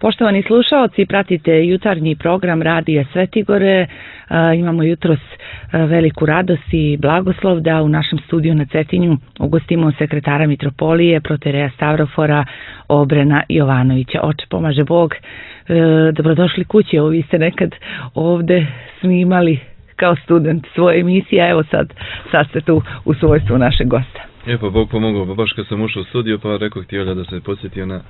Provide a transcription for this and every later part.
Poštovani slušaoci, pratite jutarnji program Radija Svetigore. Imamo jutros veliku radost i blagoslov da u našem studiju na Cetinju ugostimo sekretara Mitropolije, protereja Stavrofora Obrena Jovanovića. Oče, pomaže Bog. Dobrodošli kući. Vi ste nekad ovde snimali kao student svoje emisije, a evo sad ste tu u svojstvu našeg gosta. Pa Bog pomogao, baš kad sam ušao u studio, pa rekao htio da se podsjetio na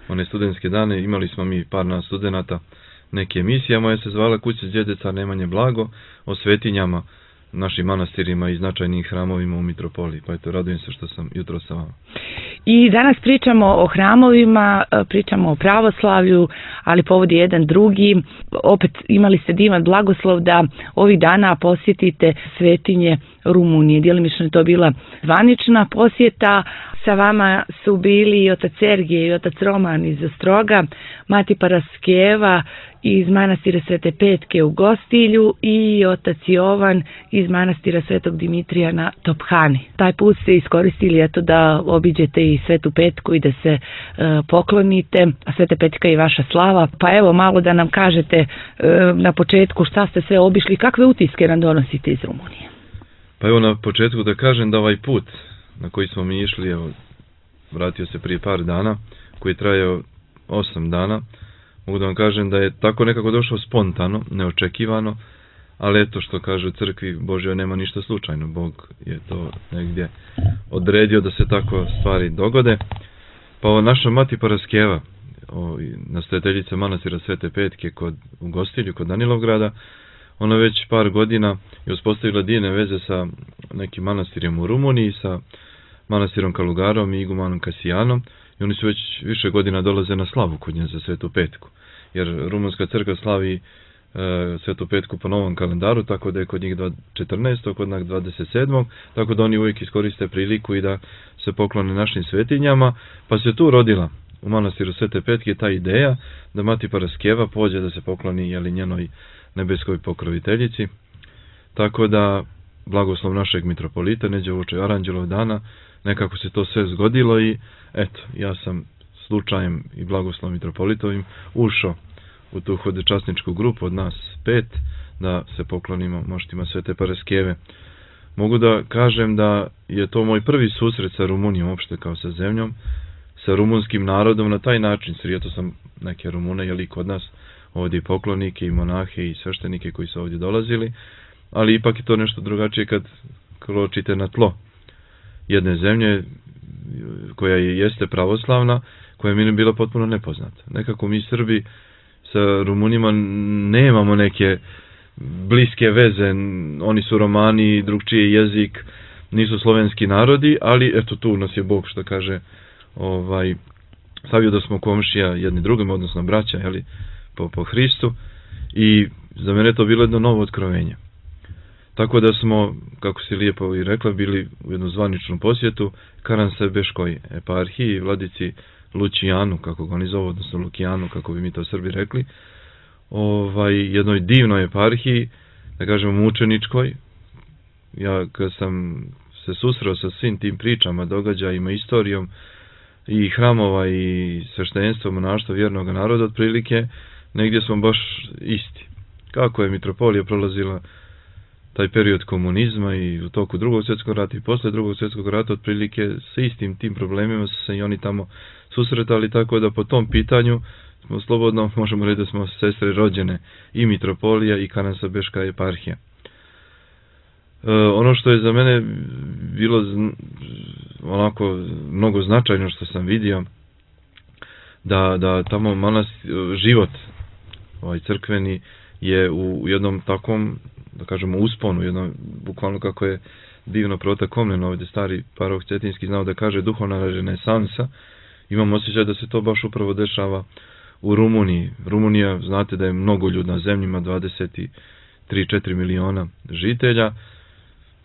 one studentske dane. Imali smo mi par nas studenata neke emisije, moja se zvala Kuća djedeca Nemanje Blago, o svetinjama, našim manastirima i značajnim hramovima u Mitropoliji. Pa eto, radujem se što sam jutro sa vama. I danas pričamo o hramovima, pričamo o pravoslavlju, ali povod je jedan drugi. Opet imali ste divan blagoslov da ovih dana posjetite svetinje Rumunije. Djelimično je to bila zvanična posjeta. Sa vama su bili i otac Sergije i otac Roman iz Ostroga, mati Paraskeva iz manastira Svete Petke u Gostilju i otac Jovan iz manastira Svetog Dimitrija na Tophani. Taj put ste iskoristili eto da obiđete i Svetu Petku i da se poklonite, a Sveta Petka je vaša slava. Pa evo malo da nam kažete na početku šta ste sve obišli, kakve utiske nam donosite iz Rumunije. Pa evo na početku da kažem da ovaj put na koji smo mi išli, evo, vratio se prije par dana, koji je trajao 8 dana, mogu da vam kažem da je tako nekako došao spontano, neočekivano, ali eto što kaže u crkvi Božjoj nema ništa slučajno, Bog je to negdje odredio da se tako stvari dogode. Pa naša mati Paraskeva, nastojateljica manastira Svete Petke u Gostilju, kod Danilovgrada, ona već par godina je uspostavila divne veze sa nekim manastirima u Rumuniji, sa manastirom Kalugarom i igumanom Kasijanom, i oni su već više godina dolaze na slavu kod nje za Svetu Petku, jer rumunska crkva slavi Svetu Petku po novom kalendaru, tako da je kod njih 14. kod nas 27. tako da oni uvijek iskoriste priliku i da se poklone našim svetinjama, pa se tu rodila u manastiru Svete Petke ta ideja da mati Paraskeva pođe da se pokloni njenoj nebeskoj pokroviteljici, tako da blagoslov našeg mitropolita neđe uoči Aranđelov dana, nekako se to sve zgodilo i eto, ja sam slučajem i blagoslovom mitropolitovim ušao u tu hodečasničku grupu od nas 5 da se poklonimo moštima Svete Paraskeve. Mogu da kažem da je to moj prvi susret sa Rumunijom, uopšte kao sa zemljom, sa rumunskim narodom na taj način. Srijeto sam neke Rumune, i kod nas ovdje i poklonike i monahe i sveštenike koji su ovdje dolazili, ali ipak je to nešto drugačije kad kročite na tlo jedne zemlje koja jeste pravoslavna, koja mi je bila potpuno nepoznata. Nekako mi Srbi sa Rumunima nemamo neke bliske veze, oni su Romani, drugčiji jezik, nisu slovenski narodi, ali eto tu nas je Bog, što kaže, stavio da smo komšija jedni drugim, odnosno braća, po Hristu, i za mene to bilo jedno novo otkrovenje. Tako da smo, kako si lijepo i rekla, bili u jednu zvaničnu posjetu Karansebeškoj eparhiji, vladici Lučijanu, kako ga oni zovu, odnosno Lukijanu, kako bi mi to Srbi rekli, jednoj divnoj eparhiji, da kažemo mučeničkoj. Ja kad sam se susreo sa svim tim pričama, događajima, istorijom i hramova i sveštenstva, monaštva vjernog naroda, otprilike, negdje smo baš isti. Kako je mitropolija prolazila taj period komunizma i u toku Drugog svjetskog rata i posle Drugog svjetskog rata, otprilike sa istim tim problemima su se i oni tamo susretali, tako da po tom pitanju smo slobodno, možemo reći da smo sestre rođene, i mitropolija i Karansebeška eparhija. Ono što je za mene bilo onako mnogo značajno što sam vidio, da tamo život crkveni je u jednom takvom, da kažemo, usponu, jednom, bukvalno kako je divno protakomljeno, ovdje stari parok Cetinski znao da kaže duhovna renesansa. Imam osjećaj da se to baš upravo dešava u Rumuniji. Rumunija, znate da je mnogoljudna zemlja, ima 23-4 miliona žitelja.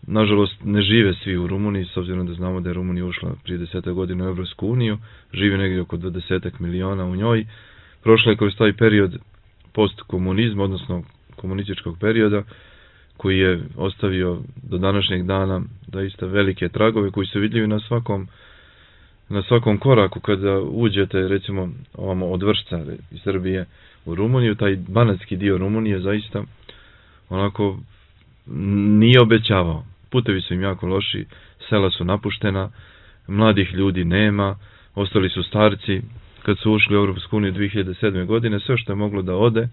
Nažalost, ne žive svi u Rumuniji, s obzirom da znamo da je Rumunija ušla prije 10 godina u Evropsku uniju, žive negdje oko 20 miliona u njoj. Prošla je kroz taj period postkomunizma, odnosno komunističkog perioda, koji je ostavio do današnjeg dana doista velike tragove koji su vidljivi na svakom koraku kada uđete recimo ovamo od Vršca iz Srbije u Rumuniju, taj banatski dio Rumunije zaista onako nije obećavao. Putevi su im jako loši, sela su napuštena, mladih ljudi nema, ostali su starci. Kad su ušli u Europsku uniju 2007. godine, sve što je moglo da ode,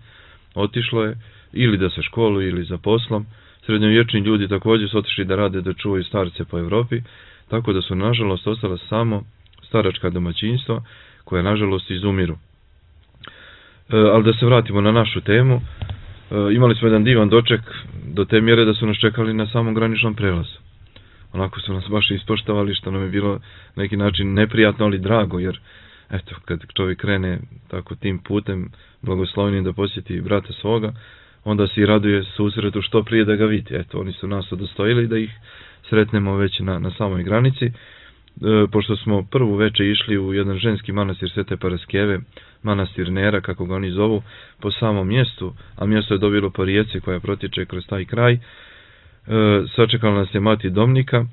otišlo je, ili da se školuju ili za poslom. Srednjovječni ljudi također su otišli da rade, da čuvaju starce po Evropi, tako da su nažalost ostala samo staračka domaćinstva koja nažalost izumiru. Ali da se vratimo na našu temu, imali smo jedan divan doček do te mjere da su nas čekali na samom graničnom prelazu. Onako su nas baš ispoštovali, što nam je bilo na neki način neprijatno, ali drago, jer eto, kad čovjek krene tako tim putem blagoslovnim da posjeti brata svoga, onda se i raduje susretu što prije da ga vidi. Eto, oni su nas udostojili da ih sretnemo već na samoj granici. Pošto smo prvu večer išli u jedan ženski manastir Svete Paraskeve, manastir Nera, kako ga oni zovu, po samom mjestu, a mjesto je dobilo po rijeci koja protječe kroz taj kraj, sačekala nas je mati Domnika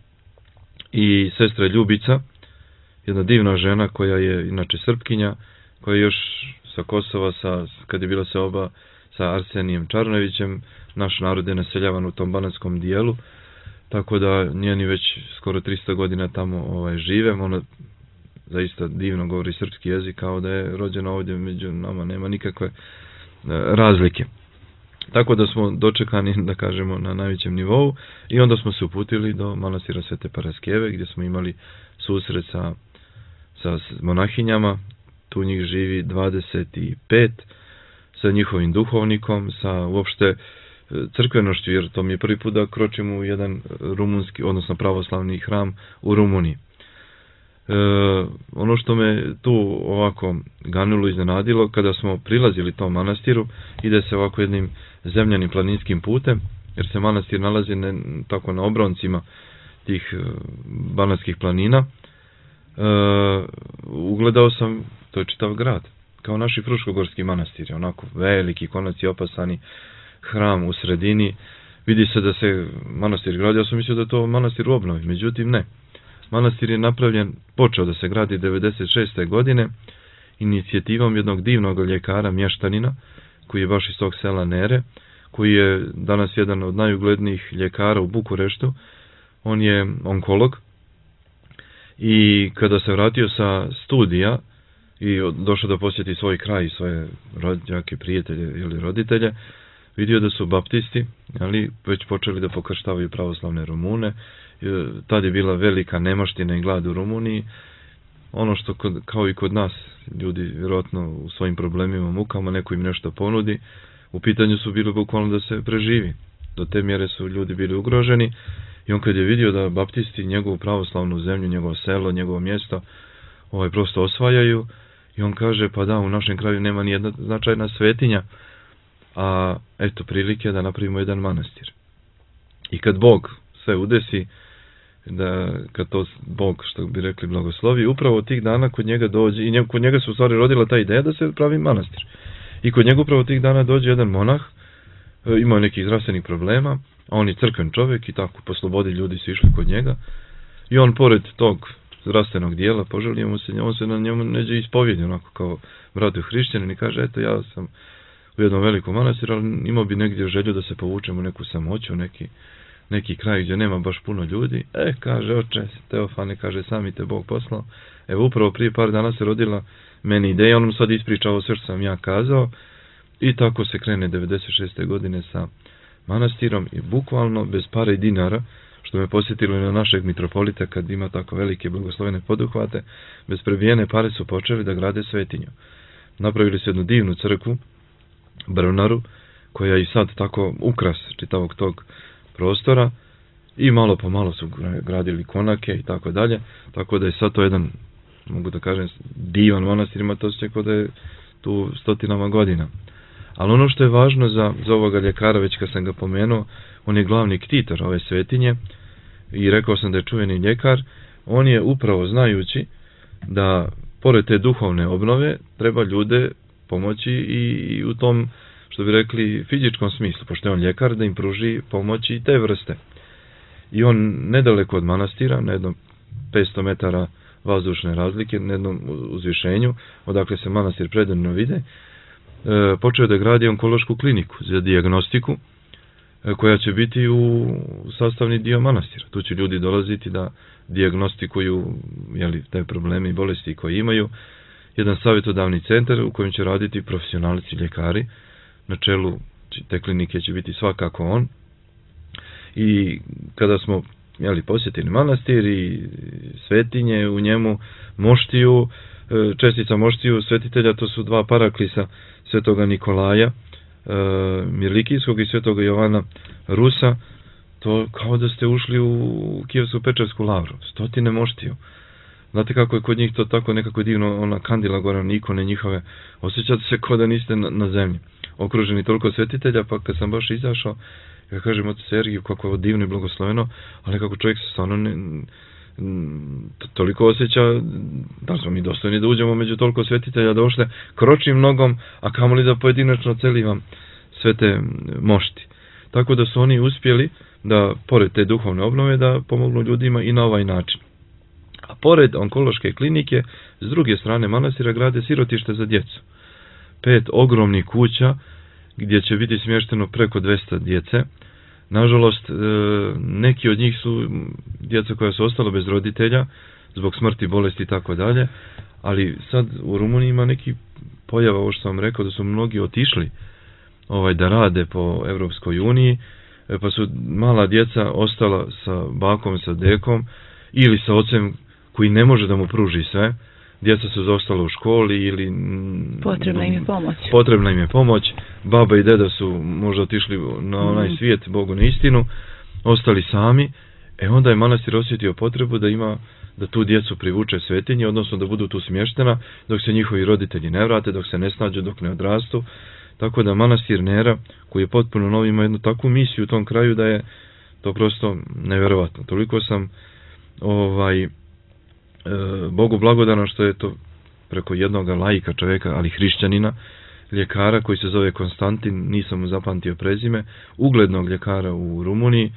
i sestra Ljubica, jedna divna žena koja je inače Srpkinja, koja je još sa Kosova, kad je bila seoba sa Arsenijem Čarnojevićem, naš narod je naseljavan u tom banatskom dijelu, tako da njeni već skoro 300 godina tamo žive. Ona zaista divno govori srpski jezik, kao da je rođena ovdje među nama, nema nikakve razlike. Tako da smo dočekani, da kažemo, na najvećem nivou, i onda smo se uputili do manastira Svete Paraskeve, gdje smo imali susret sa monahinjama. Tu njih živi 25, sa njihovim duhovnikom, sa uopšte crkvenošću, jer to mi je prvi put da kročim u jedan rumunski, odnosno pravoslavni hram u Rumuniji. Ono što me tu ovako ganulo, iznenadilo, kada smo prilazili tom manastiru, ide se ovako jednim zemljanim planinskim putem, jer se manastir nalazi tako na obroncima tih banatskih planina. Ugledao sam, to je čitav grad, kao naši fruškogorski manastiri, onako veliki, konaci opasani, hram u sredini. Vidi se da se manastir gradi, ja sam mislio da je to manastir u obnovi, međutim ne. Manastir je napravljen, počeo da se gradi 96. godine inicijativom jednog divnog ljekara, mještanina, koji je baš iz tog sela Nere, koji je danas jedan od najuglednijih ljekara u Bukureštu. On je onkolog i kada se vratio sa studija i došao da posjeti svoj kraj i svoje rođake, prijatelje ili roditelje, vidio da su baptisti, ali već počeli da pokrštavaju pravoslavne Rumune. Tad je bila velika nemaština i glad u Rumuniji. Ono što kao i kod nas, ljudi vjerojatno u svojim problemima, mukama, neko im nešto ponudi, u pitanju su bili bukvalno da se preživi. Do te mjere su ljudi bili ugroženi, i on kad je vidio da baptisti njegovu pravoslavnu zemlju, njegovo selo, njegovo mjesto, prosto osvajaju, i on kaže, pa da, u našem kraju nema ni jedna značajna svetinja, a eto prilike da napravimo jedan manastir. I kad Bog sve udesi, kad to Bog, što bi rekli, blagoslovi, upravo tih dana kod njega dođe, i kod njega se u stvari rodila ta ideja da se pravi manastir. I kod njega upravo tih dana dođe jedan monah, imao nekih zdravstvenih problema, a on je crkven čovjek, i tako po slobodi ljudi su išli kod njega, i on pored tog zdravstvenog dijela poželio mu se, on se na njemu neđe ispovjedi, onako kao bratu hrišćanin, i kaže, eto, ja sam u jednom velikom manastiru, ali imao bi negdje želju da se povučemo u neku samoću, neki kraj gdje nema baš puno ljudi. Kaže, oče Teofane, kaže, sami te Bog poslao. Evo, upravo prije par dana se rodila meni ideja, on sad ispričao sve što sam ja kazao, i tako se krene 96. godine sa manastirom, i bukvalno bez pare i dinara, što me posjetilo na našeg mitropolita kad ima tako velike blagoslovene poduhvate, bez prebijene pare su počeli da grade svetinju. Napravili su jednu divnu crkvu, Brvnaru, koja je i sad tako ukras čitavog tog prostora, i malo po malo su gradili konake i tako dalje, tako da je sad to jedan, mogu da kažem, divan manastir, ima to osjećaj da je tu stotinama godina. Ali ono što je važno za ovoga ljekara, već kad sam ga pomenuo, on je glavni ktitor ove svetinje, i rekao sam da je čuveni ljekar. On je upravo znajući da pored te duhovne obnove treba ljude pomoći i u tom, što bi rekli, fizičkom smislu, pošto je on ljekar, da im pruži pomoći i te vrste. I on nedaleko od manastira, na jedno 500 metara vazdušne razlike na jednom uzvišenju, odakle se manastir predivno vide, počeo da gradi onkološku kliniku za dijagnostiku, koja će biti u sastavni dio manastira. Tu će ljudi dolaziti da dijagnostikuju te probleme i bolesti koje imaju. Jedan savjetodavni centar u kojem će raditi profesionalci ljekari. Na čelu te klinike će biti svakako on. I kada smo posjetili manastir i svetinje u njemu, moštiju, čestica moštiju svetitelja, to su dva paraklisa svetoga Nikolaja Mirlikijskog i svetoga Jovana Rusa, to kao da ste ušli u Kijevsku Pečarsku lavru, stotine moštiju. Znate kako je kod njih to tako nekako divno, ona kandila gore, ikone njihove, osjećate se kao da niste na zemlji, okruženi toliko svetitelja. Pa kad sam baš izašao, ja kažem od Sergiju kako je ovo divno i blagosloveno, ali kako čovjek se stvarno toliko osjeća, da smo mi dostojni da uđemo među toliko svetitelja, da ošle kročim nogom, a kamoli da pojedinačno celivam sve te mošti. Tako da su oni uspjeli da, pored te duhovne obnove, da pomognu ljudima i na ovaj način. A pored onkološke klinike, s druge strane manastira grade sirotište za djecu. 5 ogromnih kuća gdje će biti smješteno preko 200 djece. Nažalost, neki od njih su djeca koja su ostala bez roditelja zbog smrti, bolesti i tako dalje, ali sad u Rumuniji ima neki pojava, ovo što sam rekao, da su mnogi otišli da rade po Evropskoj uniji, pa su mala djeca ostala sa bakom, sa dekom ili sa ocem koji ne može da mu pruži sve. Djeca su zostala u školi ili potrebna im je pomoć. Potrebna im je pomoć. Baba i deda su možda otišli na onaj svijet, Bogu na istinu, ostali sami. Onda je manastir osjetio potrebu da tu djecu privuče svetinje, odnosno da budu tu smještena dok se njihovi roditelji ne vrate, dok se ne snađu, dok ne odrastu. Tako da manastir Nera, koji je potpuno nov, ima jednu takvu misiju u tom kraju da je to prosto nevjerovatno. Toliko sam Bogu blagodaran što je to preko jednog laika čovjeka, ali hrišćanina, ljekara koji se zove Konstantin, nisam mu zapamtio prezime, uglednog ljekara u Rumuniji.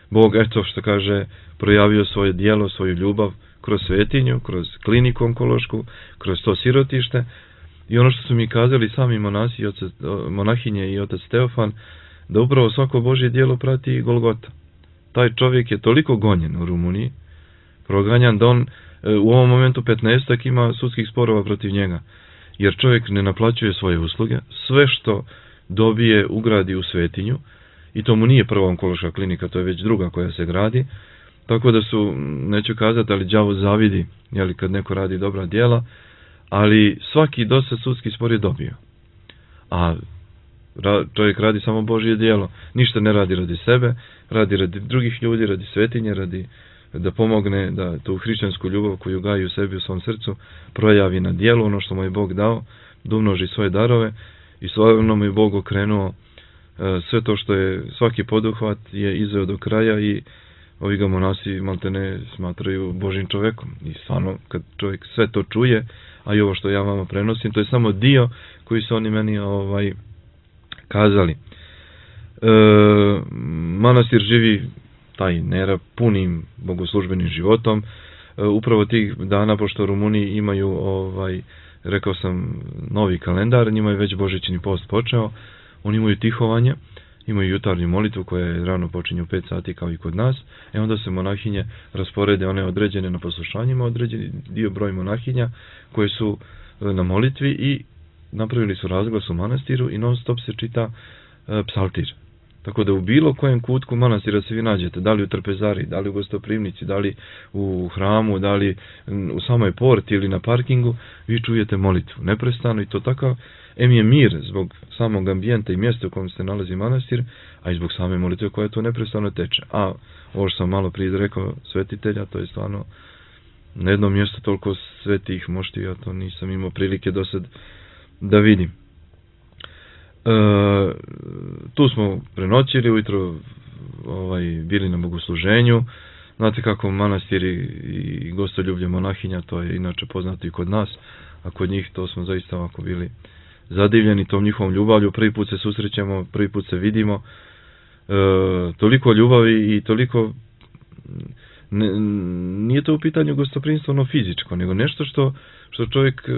Bog, eto što kaže, projavio svoje djelo, svoju ljubav kroz svetinju, kroz kliniku onkološku, kroz to sirotište. I ono što su mi kazali sami monasi, monahinje i otac Teofan, da upravo svako Božje djelo prati Golgota. Taj čovjek je toliko gonjen u Rumuniji, proganjan, da on u ovom momentu 15 ima sudskih sporova protiv njega, jer čovjek ne naplaćuje svoje usluge, sve što dobije ugradi u svetinju, i to mu nije prva onkološka klinika, to je već druga koja se gradi, tako da su, neću kazati, ali đavo zavidi, kad neko radi dobra djela, ali svaki dosad sudski spor je dobio. A čovjek radi samo Božje djelo, ništa ne radi radi sebe, radi radi drugih ljudi, radi svetinje, radi da pomogne da tu hrišćansku ljubav koju gaji u sebi, u svom srcu, projavi na djelu, ono što mu je Bog dao, da umnoži svoje darove, i svojevremeno mu je Bog okrenuo sve to što je svaki poduhvat je izveo do kraja, i ovi ga monasi maltene smatraju Božjim čovjekom. I stvarno, kad čovjek sve to čuje, a i ovo što ja vama prenosim, to je samo dio koji su oni meni kazali. Manastir živi taj Nera punim bogoslužbenim životom. Upravo tih dana, pošto Rumuniji imaju, rekao sam, novi kalendar, njima je već božićni post počeo, oni imaju tihovanje, imaju jutarnju molitvu koja je rano počinje u 5 sati kao i kod nas, onda se monahinje rasporede, one određene na poslušanjima, određeni dio broj monahinja koje su na molitvi, i napravili su razglas u manastiru i non stop se čita psaltir. Tako da u bilo kojem kutku manastira se vi nađete, da li u trpezari, da li u gostoprimnici, da li u hramu, da li u samoj porti ili na parkingu, vi čujete molitvu neprestano, i to takav je mir zbog samog ambijenta i mjesta u kojem se nalazi manastir, a i zbog same molitve koja to neprestano teče. A ovo što sam malo prije rekao svetitelja, to je stvarno na jednom mjestu toliko svetih mošti, ja to nisam imao prilike do sad da vidim. Tu smo prenoćili, ujutro bili na bogosluženju. Znate kako manastiri i gostoljublje monahinja, to je inače poznato i kod nas, a kod njih to smo zaista ovako bili zadivljeni tom njihovom ljubavlju. Prvi put se susrećemo, prvi put se vidimo, toliko ljubavi i toliko nije to u pitanju gostoprimstvo ono fizičko, nego nešto što čovjek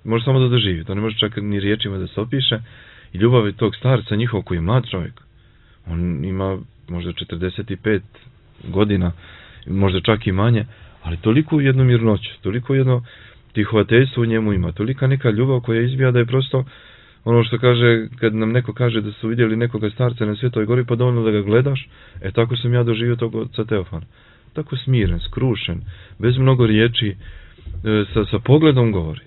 može samo da doživi. To ne može čak ni riječima da se opiše. I ljubav tog starca njihov koji je mlad čovjek. On ima možda 45 godina, možda čak i manje, ali toliko jednu mirnoću, toliko jedno tihovateljstvo u njemu ima, tolika neka ljubav koja izbija da je prosto ono što kaže, kad nam neko kaže da su vidjeli nekoga starca na Svetoj gori, pa dovoljno da ga gledaš, tako sam ja doživio tog oca Teofana. Tako smiren, skrušen, bez mnogo riječi, sa pogledom govori.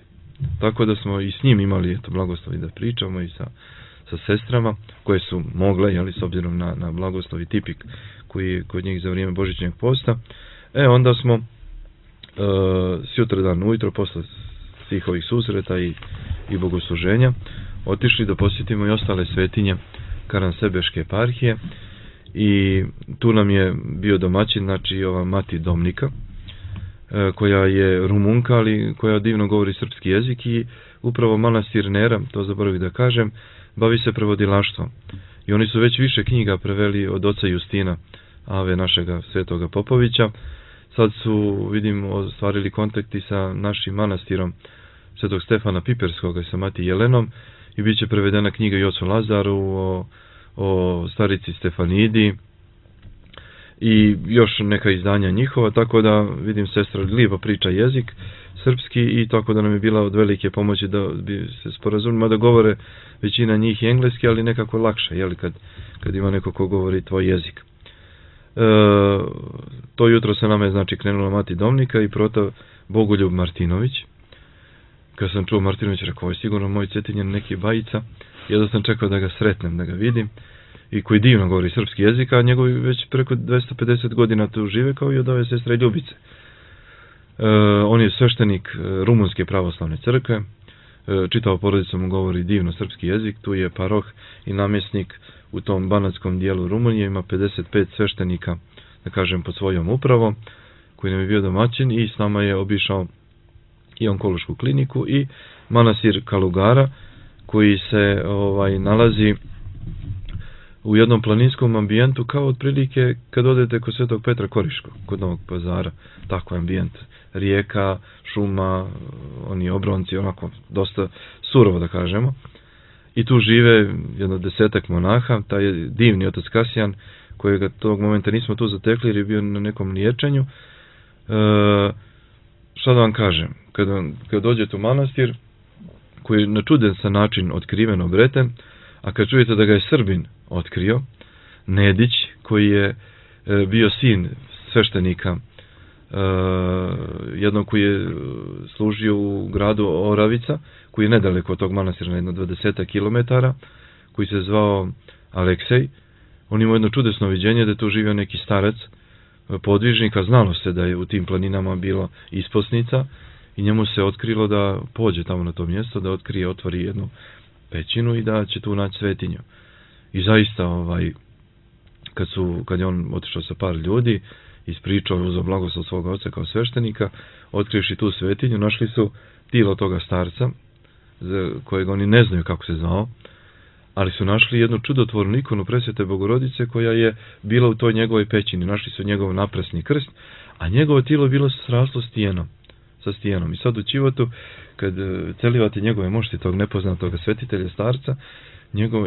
Tako da smo i s njim imali blagoslovi da pričamo i sa sestrama koje su mogle, jeli, s obzirom na blagoslov i tipik koji je kod njih za vrijeme Božićnjeg posta. Onda smo sutradan ujutro posle svih ovih susreta i bogosluženja otišli da posjetimo i ostale svetinje Karansebeške eparhije i tu nam je bio domaćin, znači ova mati Domnika, koja je Rumunka, ali koja divno govori srpski jezik i upravo manastir Nera, to zaboravim da kažem, bavi se prevodilaštvom. I oni su već više knjiga preveli od oca Justina, ave našega Svetoga Popovića. Sad su, vidim, ostvarili kontakti sa našim manastirom Svetog Stefana Piperskoga i sa mati Jelenom i bit će prevedena knjiga i ocu Lazaru o starici Stefanidi i još neka izdanja njihova, tako da vidim sestra lijepo priča jezik srpski i tako da nam je bila od velike pomoći da bi se sporazumila da govore većina njih i engleski, ali nekako lakše, jeli, kad ima neko ko govori tvoj jezik. To jutro se nama je, znači, krenula mati Domnika i prota Bogoljub Martinović. Kad sam čuo Martinović, rekao, ovo je sigurno moj Cetinjan, neki bajica. Jedno sam čekao da ga sretnem, da ga vidim. I koji divno govori srpski jezik, a njegovi već preko 250 godina tu žive, kao i od ove sestre Ljubice. On je sveštenik Rumunske pravoslavne crkve. Čitao porodicu mu govori divno srpski jezik. Tu je paroh i namjesnik u tom banatskom dijelu Rumunije. Ima 55 sveštenika, da kažem, pod svojom upravom, koji nam je bio domaćin i s nama je obišao i onkološku kliniku i manastir Kalugara, koji se nalazi u jednom planinskom ambijentu, kao otprilike kad odete kod Svetog Petra Koriškog, kod Novog Pazara, tako ambijent, rijeka, šuma, oni obronci, onako dosta surovo da kažemo. I tu žive jedno 10 monaha, taj divni otac Kasijan, kojega tog momenta nismo tu zatekli jer je bio na nekom liječenju. Šta da vam kažem, kad dođete u manastir, koji je na čudesan način otkriven, obreten, a kad čujete da ga je Srbin otkrio, Nedić, koji je bio sin sveštenika, jednog koji je služio u gradu Oravica, koji je nedaleko od tog manastira na jedno 20 kilometara, koji se zvao Aleksej. On imao jedno čudesno viđenje da je tu živio neki starac, podvižnik, a znalo se da je u tim planinama bilo isposnica i njemu se otkrilo da pođe tamo na to mjesto, da otvori jednu pećinu i da će tu naći svetinju. I zaista, kad je on otišao sa par ljudi, ispričao i uzeo blagoslov svoga oca kao sveštenika, otkrivši tu svetinju, našli su tilo toga starca, za kojeg oni ne znaju kako se zvao, ali su našli jednu čudotvornu ikonu Presvete Bogorodice koja je bila u toj njegovoj pećini. Našli su njegov naprasni krst, a njegovo tijelo bilo sraslo sa stijenom. I sad u Čivotu, kad celivate njegove mošti tog nepoznatog svetitelja starca,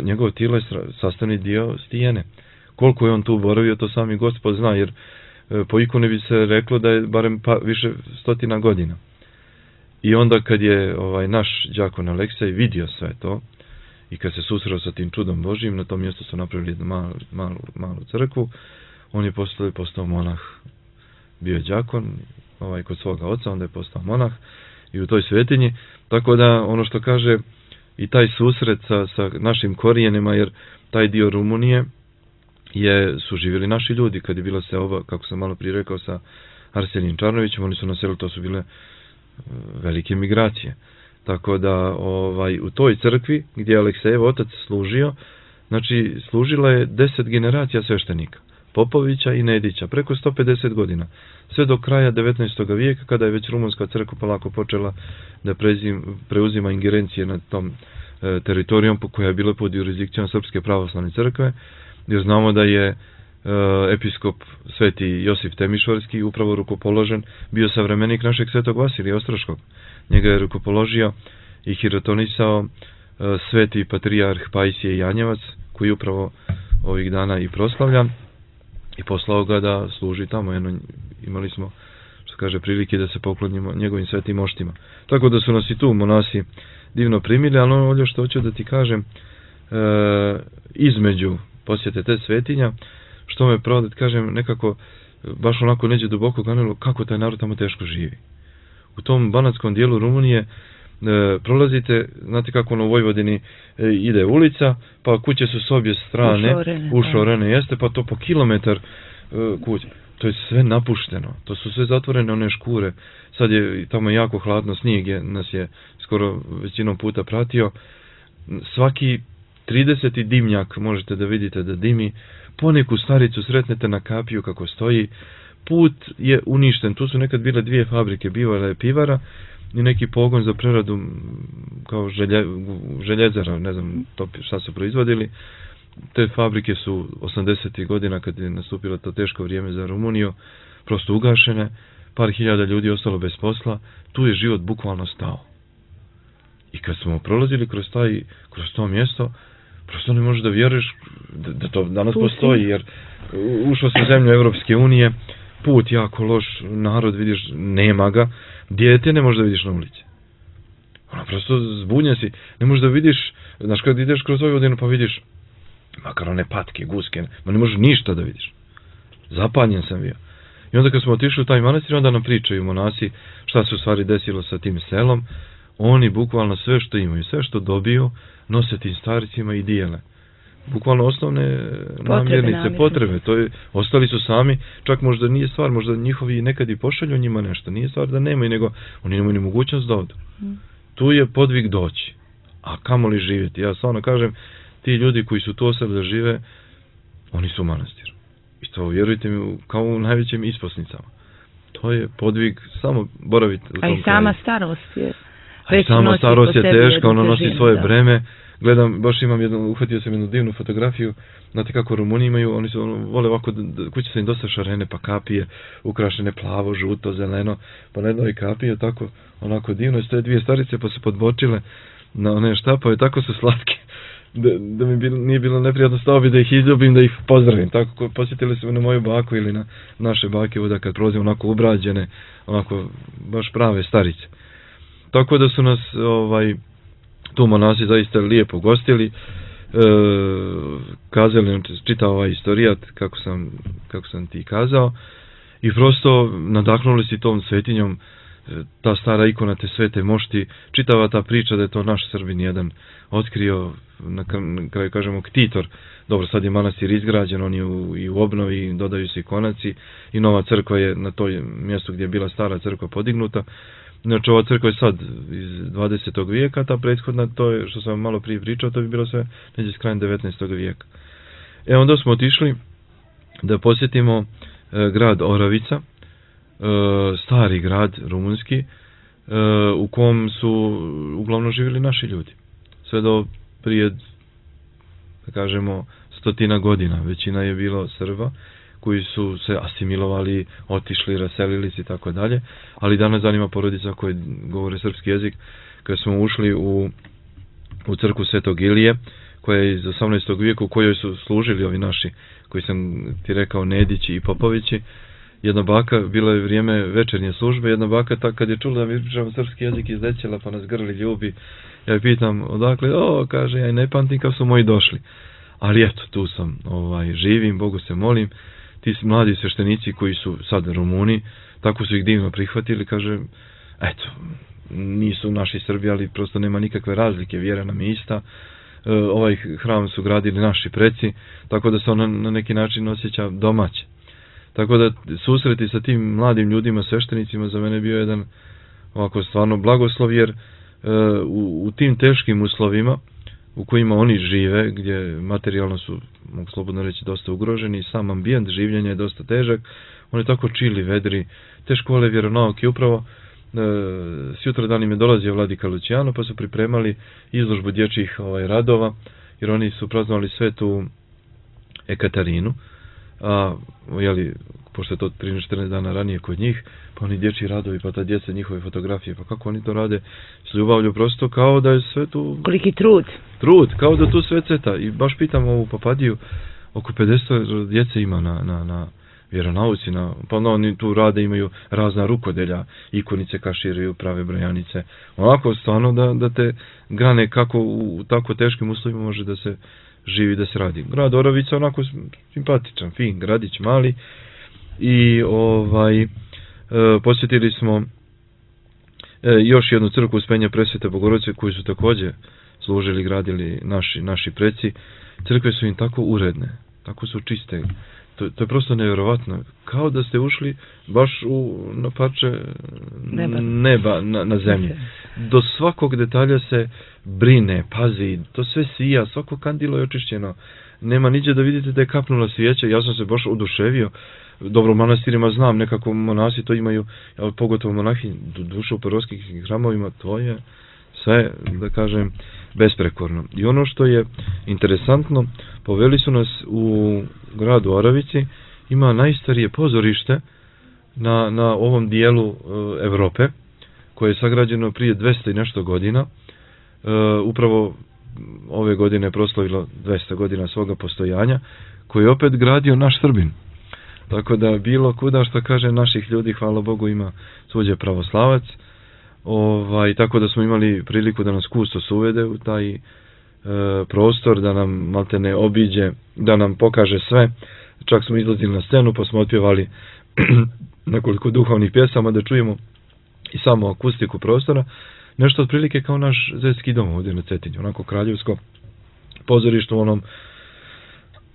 njegovo tijelo je sastavni dio stijene. Koliko je on tu boravio, to sami Gospod zna, jer po ikoni bi se reklo da je barem više 100 godina. I onda kad je naš đakon Aleksej vidio sve to, i kad se susreo sa tim čudom Božijim, na tom mjestu su napravili jednu malu crkvu, on je postao monah. Bio je đakon, kod svoga oca, onda je postao monah i u toj svetinji. Tako da, ono što kaže, i taj susret sa našim korijenima, jer taj dio Rumunije su živjeli naši ljudi. Kad je bila seoba, kako sam malo prije rekao, sa Arsenijem Čarnovićem, oni su naselili, to su bile velike migracije. Tako da u toj crkvi gdje je Aleksejev otac služio, znači služila je 10 generacija sveštenika, Popovića i Nedića, preko 150 godina. Sve do kraja 19. vijeka, kada je već rumunska crkva polako počela da preuzima ingerencije nad tom teritorijom koja je bila pod jurisdikcijom Srpske pravoslavne crkve, jer znamo da je episkop sveti Josip Temišvarski, upravo rukopoložen, bio savremenik našeg svetog Vasilija Ostroškog. Njega je rukopoložio i hirotonisao sveti patrijarh Pajsije Janjevac, koji upravo ovih dana i proslavlja, i poslao ga da služi tamo. Imali smo, što kaže, prilike da se poklonimo njegovim svetim moštima. Tako da su nas i tu monasi divno primili, ali ono što hoću da ti kažem, između posjete te svetinja, što me pravo da ti kažem, nekako baš onako neđe duboko ganilo kako taj narod tamo teško živi. U tom banatskom dijelu Rumunije prolazite, znate kako u Vojvodini ide ulica, pa kuće su s obje strane, ušorene jeste, pa to po kilometar kuće. To je sve napušteno, to su sve zatvorene one škure. Sad je tamo jako hladno, snijeg nas je skoro većinom puta pratio. Svaki 30. dimnjak možete da vidite da dimi, poneku staricu sretnete na kapiju kako stoji, put je uništen, tu su nekad bile dvije fabrike, bivala je pivara i neki pogon za preradu kao željezara, ne znam šta su proizvodili. Te fabrike su 80. godina, kad je nastupilo to teško vrijeme za Rumuniju, prosto ugašene, par hiljada ljudi ostalo bez posla, tu je život bukvalno stao. I kad smo prolazili kroz to mjesto, prosto ne možeš da vjeruješ da to danas postoji, jer ušlo se u zemlju Evropske unije, put jako loš, narod vidiš, nema ga, dijete ne možeš da vidiš na ulici. Ono, prosto zbunjen si, ne možeš da vidiš, znaš, kad ideš kroz Vojvodinu pa vidiš, makar one patke, guske, ma ne možeš ništa da vidiš. Zapanjen sam bio. I onda kad smo otišli u taj manastir, onda nam pričaju monasi šta se u stvari desilo sa tim selom. Oni bukvalno sve što imaju, sve što dobiju, nose tim staricima i dijele. Bukvalno osnovne namirnice, potrebe. Ostali su sami, čak možda nije stvar, možda njihovi nekad i pošalju njima nešto. Nije stvar da nemaju, nego oni nemaju ni mogućnost da odu. Tu je podvig doći. A kamo li živjeti? Ja stvarno kažem, ti ljudi koji su tu ostali da žive, oni su u manastiru. I to, vjerujte mi, kao u najvećim isposnicama. To je podvig, samo boraviti u tom kraju. A i sama starost je... A i sama starost je teška, ono nosi svoje breme. Gledam, baš uhvatio sam jednu divnu fotografiju, znate kako Rumuni imaju, oni su vole ovako, kuće su im dosta šarene, pa kapije, ukrašene plavo, žuto, zeleno, pa na jednoj kapije, tako, onako divno, stoje dvije starice, pa su podbočile na one štapove, tako su slatke, da mi nije bilo neprijatno stao bi da ih izljubim, da ih pozdravim, tako, posjetili su me na moju baku ili na naše bake, ovdje kad prolazim onako ubrađene, onako, baš prave starice. Tako da su nas, tu monasi zaista lijepo gostili, kazali nam, čitao ovaj istorijat, kako sam ti kazao, i prosto nadahnuli si tom svetinjom, ta stara ikona te svete mošti, čitava ta priča da je to naš Srbin jedan otkrio, na kraju kažemo ktitor. Dobro, sad je manastir izgrađen, on je i u obnovi, dodaju se ikonaci i nova crkva je na toj mjestu gdje je bila stara crkva podignuta. Znači, ova crkva je sad iz 20. vijeka, ta prethodna, to je što sam malo prije pričao, to bi bilo sve neđe s krajem 19. vijeka. Onda smo otišli da posjetimo grad Oravica, stari grad rumunski, u kom su uglavnom živjeli naši ljudi. Sve do prije, da kažemo, 100 godina. Većina je bilo Srba, koji su se asimilovali, otišli, raselili se i tako dalje, ali danas zanima porodica koje govore srpski jezik. Kada smo ušli u crkvu Svetog Ilije, koja je iz 18. vijeku, u kojoj su služili ovi naši, koji sam ti rekao, Nedići i Popovići, jedna baka, bilo je vrijeme večernje službe, jedna baka kad je čula da mi pričamo srpski jezik izlećela, pa nas grli, ljubi. Ja je pitam odakle, kaže, ja ne pamtim kad su moji došli. Ali eto, tu sam, živim, Bogu se molim. Ti mladi sveštenici koji su sad Rumuni, tako su ih divno prihvatili, kaže, eto, nisu naši Srbi, ali prosto nema nikakve razlike, vjera nam je ista, ovaj hram su gradili naši preci, tako da se on na neki način osjeća domaće. Tako da susreti sa tim mladim ljudima, sveštenicima, za mene bio jedan ovako stvarno blagoslov, jer u tim teškim uslovima u kojima oni žive, gdje materijalno su, mogu slobodno reći, dosta ugroženi, sam ambijent življenja je dosta težak, oni tako čili, vedri, te škole vjeronauke, upravo sjutra dan im je dolazio vladika Lucijano, pa su pripremali izložbu dječjih radova, jer oni su praznovali svetu Ekaterinu, jeli, pošto je to 13-14 dana ranije kod njih, pa oni dječji radovi, pa ta djeca, njihove fotografije, pa kako oni to rade s ljubavlju, prosto kao da je sve tu... Koliki trud. Trud, kao da tu sve ceta. I baš pitam ovu papadiju, oko 50 djece ima na vjeronauci, pa onda oni tu rade, imaju razna rukodelja, ikonice kaširaju, prave brojanice. Onako, stvarno da te grane kako u tako teškim uslovima može da se živi, da se radi. Grad Oravica onako simpatičan, fin, gradić mali i posjetili smo još jednu crkvu Uspenja Presvete Bogorodice koju su također služili, gradili naši preci. Crkve su im tako uredne, tako su čiste. To je prosto nevjerovatno. Kao da ste ušli baš na parče neba na zemlji. Do svakog detalja se brine, pazi, to sve sija, svako kandilo je očišćeno. Nema niđe da vidite da je kapnula svijeća. Ja sam se baš oduševio. Dobro, u manastirima znam, nekako monasi to imaju, pogotovo monahi, duše u prvoskim hramovima, to je sve, da kažem, besprekorno. I ono što je interesantno, poveli su nas u gradu Oravici, ima najstarije pozorište na ovom dijelu Evrope, koje je sagrađeno prije 200 i nešto godina. Upravo ove godine je proslavilo 200 godina svoga postojanja, koji je opet gradio naš Srbin. Tako da bilo kuda što kaže naših ljudi, hvala Bogu, ima suđe pravoslavac. Tako da smo imali priliku da nas kustos uvede u taj prostor, da nam maltene obiđe, da nam pokaže sve. Čak smo izlazili na scenu pa smo otpjevali nekoliko duhovnih pjesama da čujemo i samo akustiku prostora. Nešto otprilike kao naš Zetski dom ovdje na Cetinju, onako kraljevsko pozorište u onom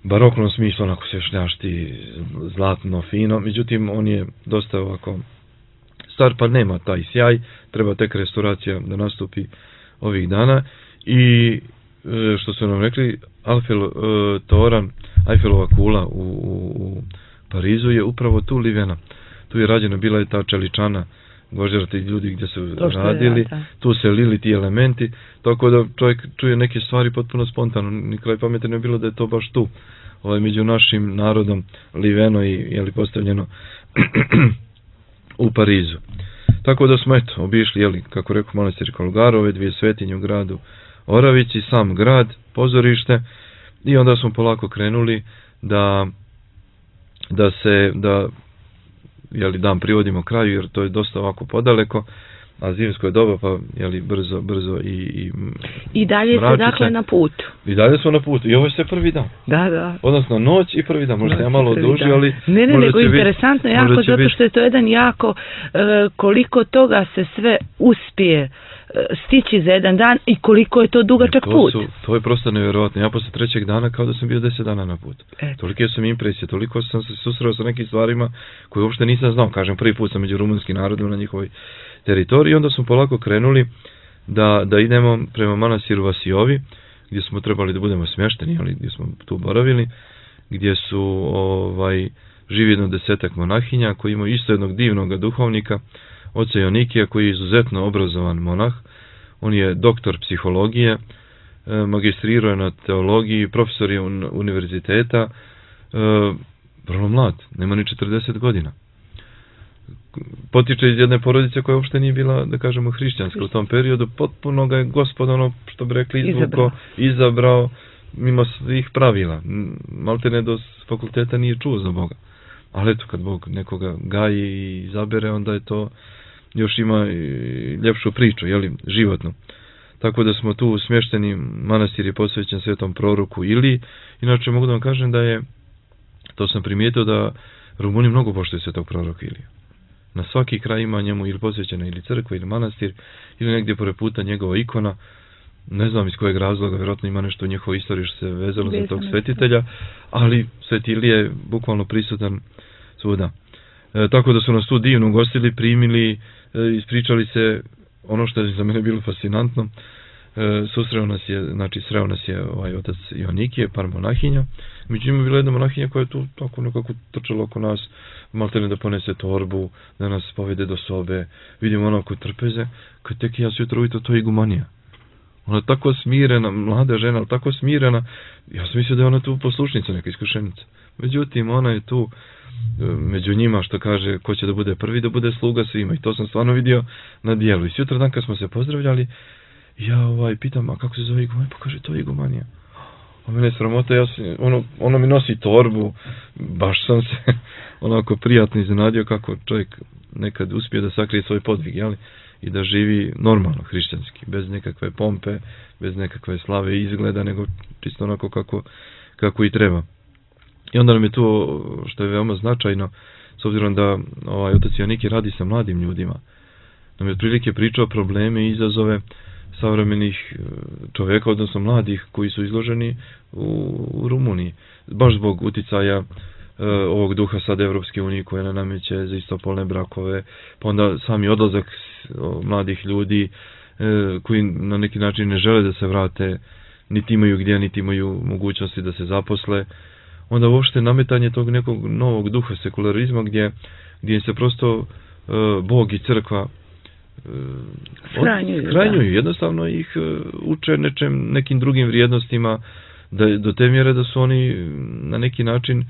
baroknom smislu, onako se šljašti, zlatno, fino. Međutim, on je dosta ovako star, pa nema taj sjaj, treba tek restauracija da nastupi ovih dana. I što su nam rekli, Eiffelova kula u Parizu je upravo tu livena. Tu je rađena, bila je ta čeličana gvožđera, ti ljudi gdje su radili, tu se lili ti elementi, tako da čovjek čuje neke stvari potpuno spontano, nikraj pameti ne bilo da je to baš tu, među našim narodom liveno i postavljeno u Parizu. Tako da smo obišli, kako rekao, manastir Kolgarove, 2 svetinje u gradu Oravici, sam grad, pozorište, i onda smo polako krenuli da dan privodimo kraju, jer to je dosta ovako podaleko, a zimsko je doba, pa brzo i dalje ste dakle na putu. I dalje smo na putu. I ovo je sve prvi dan. Da. Odnosno noć i prvi dan. Možda ja malo odužio, ali... Ne, nego interesantno jako, zato što je to jedan jako, koliko toga se sve uspije stići za jedan dan i koliko je to dugačak put. To je prosto nevjerojatno. Ja posle 3. dana kao da sam bio 10 dana na putu. Tolike sam impresije, toliko sam se susreo sa nekim stvarima koje uopšte nisam znao. Kažem, prvi put sam među rumunskim narodom na njihovoj teritoriji. Onda smo polako krenuli da idemo prema manastiru Vasiovi, gdje smo trebali da budemo smješteni, ali gdje smo tu boravili, gdje su živi 10 monahinja koji imaju isto jednog divnog duhovnika, oca Jonikija, koji je izuzetno obrazovan monah. On je doktor psihologije, magistrirao je na teologiji, profesor je univerziteta, vrlo mlad, nema ni 40 godina. Potiče iz jedne porodice koja uopšte nije bila, da kažemo, hrišćanska u tom periodu. Potpuno ga je Gospod, ono što bi rekli, izabrao mimo svih pravila. Maltene do fakulteta nije čuo za Boga. Ali eto, kad Bog nekoga gaji i izabere, onda je to još ima ljepšu priču, životnu. Tako da smo tu smješteni, manastir je posvećen svetom proroku Iliji. Inače, mogu da vam kažem da je, to sam primijetio, da Rumuni mnogo poštuju svetog proroka Iliju. Na svaki kraj ima njemu ili posvećena ili crkva ili manastir, ili negdje pored puta njegova ikona. Ne znam iz kojeg razloga, vjerojatno ima nešto u njihovoj istoriji što se vezalo za tog svetitelja, ali Sveti Ilija je bukvalno prisutan svuda. Tako da su nas tu divno ugostili, primili, ispričali se ono što je za mene bilo fascinantno. Sreo nas je otac Jonikije, par monahinja. Međutim je bila jedna monahinja koja je tu tako nekako trčala oko nas, maltene da ponese torbu, da nas povede do sobe. Vidimo onako trpeze, kad tek ja se jutro ujutro, to je igumanija. Ona je tako smirena, mlada žena, ali tako smirena. Ja sam mislio da je ona tu poslušnica, neka iskušenica. Međutim, ona je tu među njima, što kaže, ko će da bude prvi, da bude sluga svima. I to sam stvarno vidio na dijelu. I sutra dan kad smo se pozdravljali, ja pitam, a kako se zove igumanija? Pa kaže, to je igumanija. A mene je sramota, ono mi nosi torbu, baš sam se onako prijatno iznenadio kako čovjek nekad uspije da sakrije svoj podvig, jeli? I da živi normalno, hrišćanski, bez nekakve pompe, bez nekakve slave i izgleda, nego čisto onako kako i treba. I onda nam je to, što je veoma značajno, s obzirom da otac Joniki radi sa mladim ljudima, nam je otprilike pričao probleme i izazove savremenih čovjeka, odnosno mladih koji su izloženi u Rumuniji. Baš zbog uticaja ovog duha sad Evropske unije koje nam nameće za istopolne brakove, pa onda sami odlazak mladih ljudi koji na neki način ne žele da se vrate, niti imaju gdje, niti imaju mogućnosti da se zaposle. Onda uopšte nametanje tog nekog novog duha sekularizma gdje se prosto Bog i crkva skranjuju. Jednostavno ih uče nekim drugim vrijednostima, do te mjere da su oni na neki način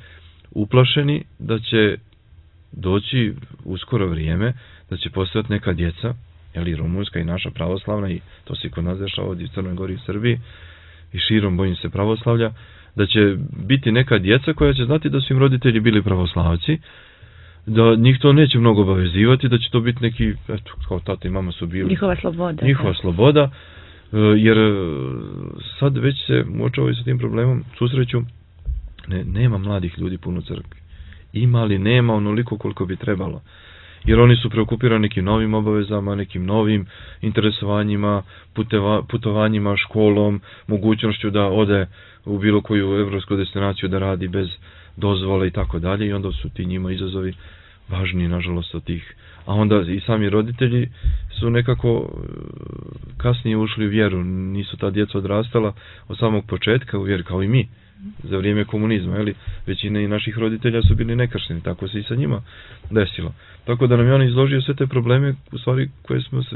uplašeni da će doći uskoro vrijeme, da će postojati neka djeca, jeli rumunska i naša pravoslavna, i to se kod nas dešava ovdje u Crnoj Gori i Srbiji i širom, bojim se, pravoslavlja, da će biti neka djeca koja će znati da su im roditelji bili pravoslavci, da njih to neće mnogo obavezivati, da će to biti neki, eto, kao tata i mama su bili. Njihova sloboda, jer sad već se uočavaju sa tim problemom, susreću, nema mladih ljudi puno u crkvi. Ima, ali nema onoliko koliko bi trebalo. Jer oni su preokupirani nekim novim obavezama, nekim novim interesovanjima, putovanjima, školom, mogućnošću da ode u bilo koju evropsku destinaciju da radi bez dozvole i tako dalje, i onda su ti njima izazovi važniji, nažalost, od tih. A onda i sami roditelji su nekako kasnije ušli u vjeru, nisu ta djeca odrastala od samog početka u vjeru, kao i mi, za vrijeme komunizma, jeli? Većina i naših roditelja su bili nekršteni, tako se i sa njima desilo. Tako da nam je on izložio sve te probleme, u stvari,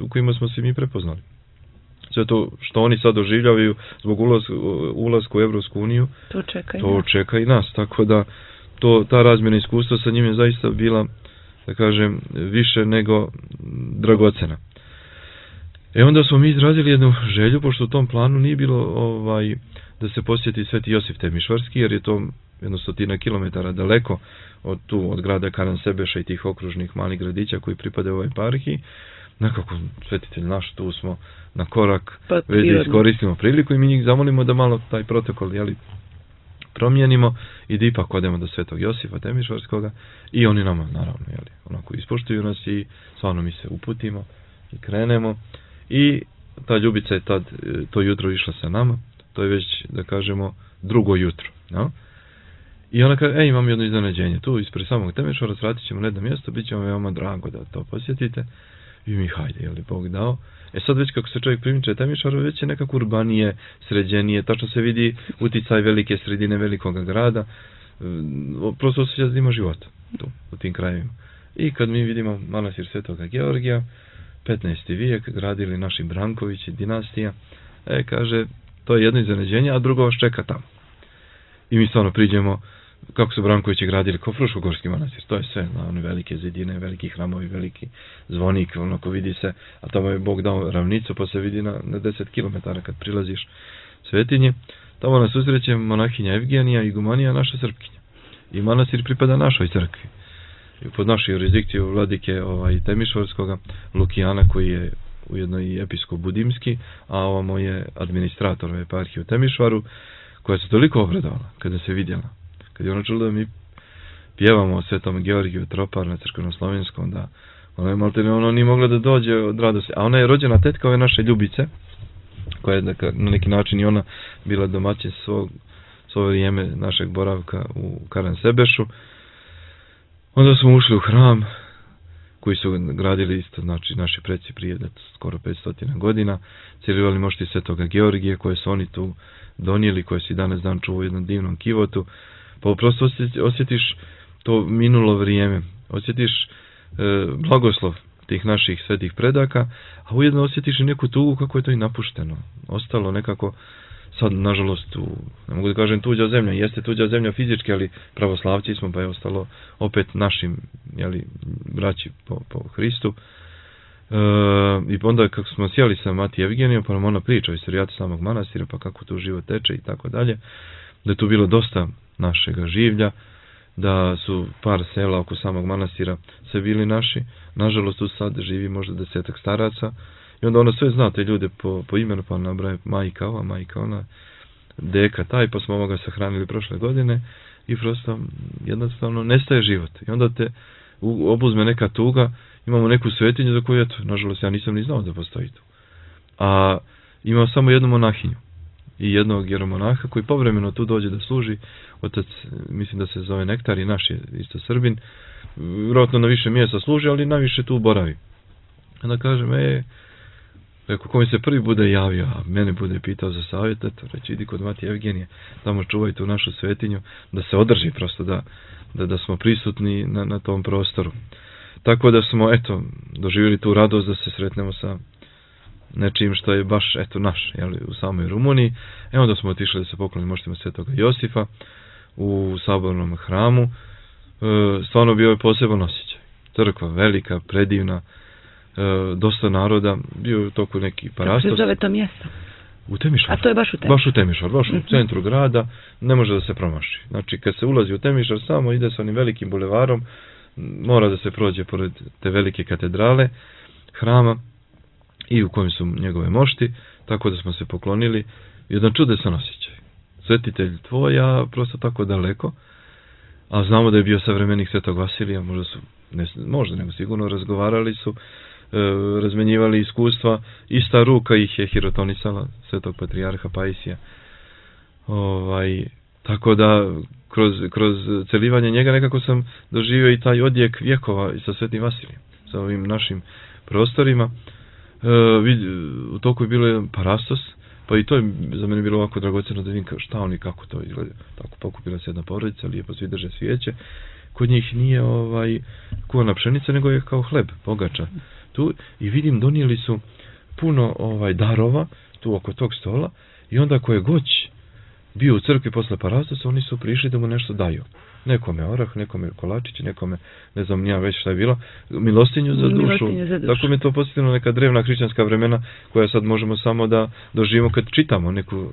u kojima smo se mi prepoznali. Sve to što oni sad doživljavaju zbog ulaska u Evropsku uniju, to čeka i nas. Tako da ta razmjena iskustva sa njim je zaista bila, da kažem, više nego dragocena. Onda smo mi izrazili jednu želju, pošto u tom planu nije bilo da se posjeti Sveti Josif Temišvarski, jer je to 100 kilometara daleko od grada Karansebeša i tih okružnih malih gradića koji pripadaju ovoj eparhiji. Nekako, svetitelj naš, tu smo na korak, već da iskoristimo priliku i mi njih zamolimo da malo taj protokol, promijenimo i da ipak odemo do Svetog Josifa Temišvarskoga, i oni nama, naravno, onako ispoštuju nas i stvarno mi se uputimo i krenemo, i ta Ljubica je tad to jutro išla sa nama, to je već, da kažemo, drugo jutro, no? I ona kaže, imam jedno iznenađenje, tu ispred samog Temišvara, sratit ćemo na jedno mjesto, bit će vam veoma drago da to posjetite. I mi, hajde, Bog dao. Sad već kako se čovjek primiče Temišvaru, već je nekako urbanije, sređenije, tačno se vidi uticaj velike sredine velikog grada, prosto osjeća da ima života tu, u tim krajevima. I kad mi vidimo manastir Svetoga Georgija, 15. vijek, gradili naši Brankovići, dinastija, kaže, to je jedno iznenađenje, a drugo vas čeka tamo. I mi stvarno priđemo, kako su Brankovići gradili, kao Fruškogorski manastir, to je sve, one velike zidine, veliki hramovi, veliki zvonik, onako vidi se, a tamo je Bog dao ravnicu, pa se vidi na 10 km kad prilaziš Svetinje. Tamo nas susreće monahinja Evgenija, igumanija, naša Srpkinja. I manastir pripada našoj crkvi. I pod našu jurisdikciju vladike Temišvarskoga, Lukijana, koji je ujedno i episkop budimski, a ovamo je administrator eparhije u Temišvaru, koja se toliko obradovala kada se vidjela. Kad je ona čula da mi pjevamo o Svetom Georgiju Tropar na crkveno-slovenskom, da ona je malte ono nije mogla da dođe od radosti. A ona je rođena tetka ove naše Ljubice, koja je na neki način i ona bila domaćin svoje vrijeme našeg boravka u Karansebešu. Onda smo ušli u hram koji su gradili isto, znači naši preci prije skoro 500 godina, cijelivali mošti Svetoga Georgije koje su oni tu donijeli, koje si danas dan čuva u jednom divnom kivotu. Pa prosto osjetiš to minulo vrijeme, osjetiš blagoslov tih naših svetih predaka, a ujedno osjetiš i neku tugu kako je to i napušteno. Ostalo nekako, sad nažalost, ne mogu da kažem tuđa zemlja, jeste tuđa zemlja fizički, ali pravoslavci smo, pa je ostalo opet našim, braći po Hristu. I onda kako smo sjeli sa Mati Evgenijom, pa nam ona priča o istorijatu samog manastira, pa kako tu život teče i tako dalje, da je tu bilo dosta našega življa, da su par sela oko samog manastira sve bili naši, nažalost tu sad živi možda 10 staraca, i onda ona sve zna te ljude po imenu, pa nabraje majka ova, majka ona, deka taj, pa smo ovoga sahranili prošle godine, i prosto jednostavno nestaje život. I onda te obuzme neka tuga, imamo neku svetinju za koju, eto, nažalost ja nisam ni znao da postoji tu. A imamo samo jednu monahinju i jednog jeromonaha koji povremeno tu dođe da služi, otac, mislim da se zove Nektar i naš je isto Srbin, vjerojatno na više mjesta služi, ali najviše tu boravi. Onda kažem, rekao, ko mi se prvi bude javio, a mene bude pitao za savjet, eto, reći, idi kod Mati Evgenije, tamo čuvaj tu našu svetinju, da se održi prosto, da smo prisutni na tom prostoru. Tako da smo, eto, doživjeli tu radost da se sretnemo sa nečim što je baš, eto, naš, u samoj Rumuniji. Onda smo otišli da se poklonimo moštima Svetoga Josifa u sabornom hramu. Stvarno bio je poseban osjećaj. Crkva velika, predivna, dosta naroda, bio je u toku neki parastos. Kako se zove to mjesto? U Temišvar. A to je baš u Temišvar? Baš u Temišvar, baš u centru grada, ne može da se promaši. Znači, kad se ulazi u Temišvar, samo ide sa onim velikim bulevarom, mora da se prođe pored te velike katedrale, hrama, i u kojem su njegove mošti, tako da smo se poklonili. Jedan čudesan osjećaj. Svetitelj tvoja, prosto tako daleko, a znamo da je bio savremenik Svetog Vasilija, možda nego sigurno razgovarali su, razmenjivali iskustva, ista ruka ih je hirotonisala, Svetog patrijarha Paisija. Tako da, kroz celivanje njega nekako sam doživio i taj odjek vjekova i sa Svetim Vasilijem, sa ovim našim prostorima. U toku je bilo jedan parastos, pa i to je za mene bilo ovako dragoceno da vidim šta oni, kako to izgleda. Tako pokupila se jedna porodica, lijepo svi drže svijeće. Kod njih nije kuvana pšenica, nego je kao hleb, pogača. Tu, i vidim, donijeli su puno darova tu oko tog stola, i onda ko je goć bio u crkvi posle parastosa, oni su prišli da mu nešto daju. Nekome orah, nekome kolačić, nekome, ne znam nija već šta je bilo, milostinju za dušu. Tako mi je to posjetilo neka drevna hrišćanska vremena, koja sad možemo samo da doživimo kad čitamo neku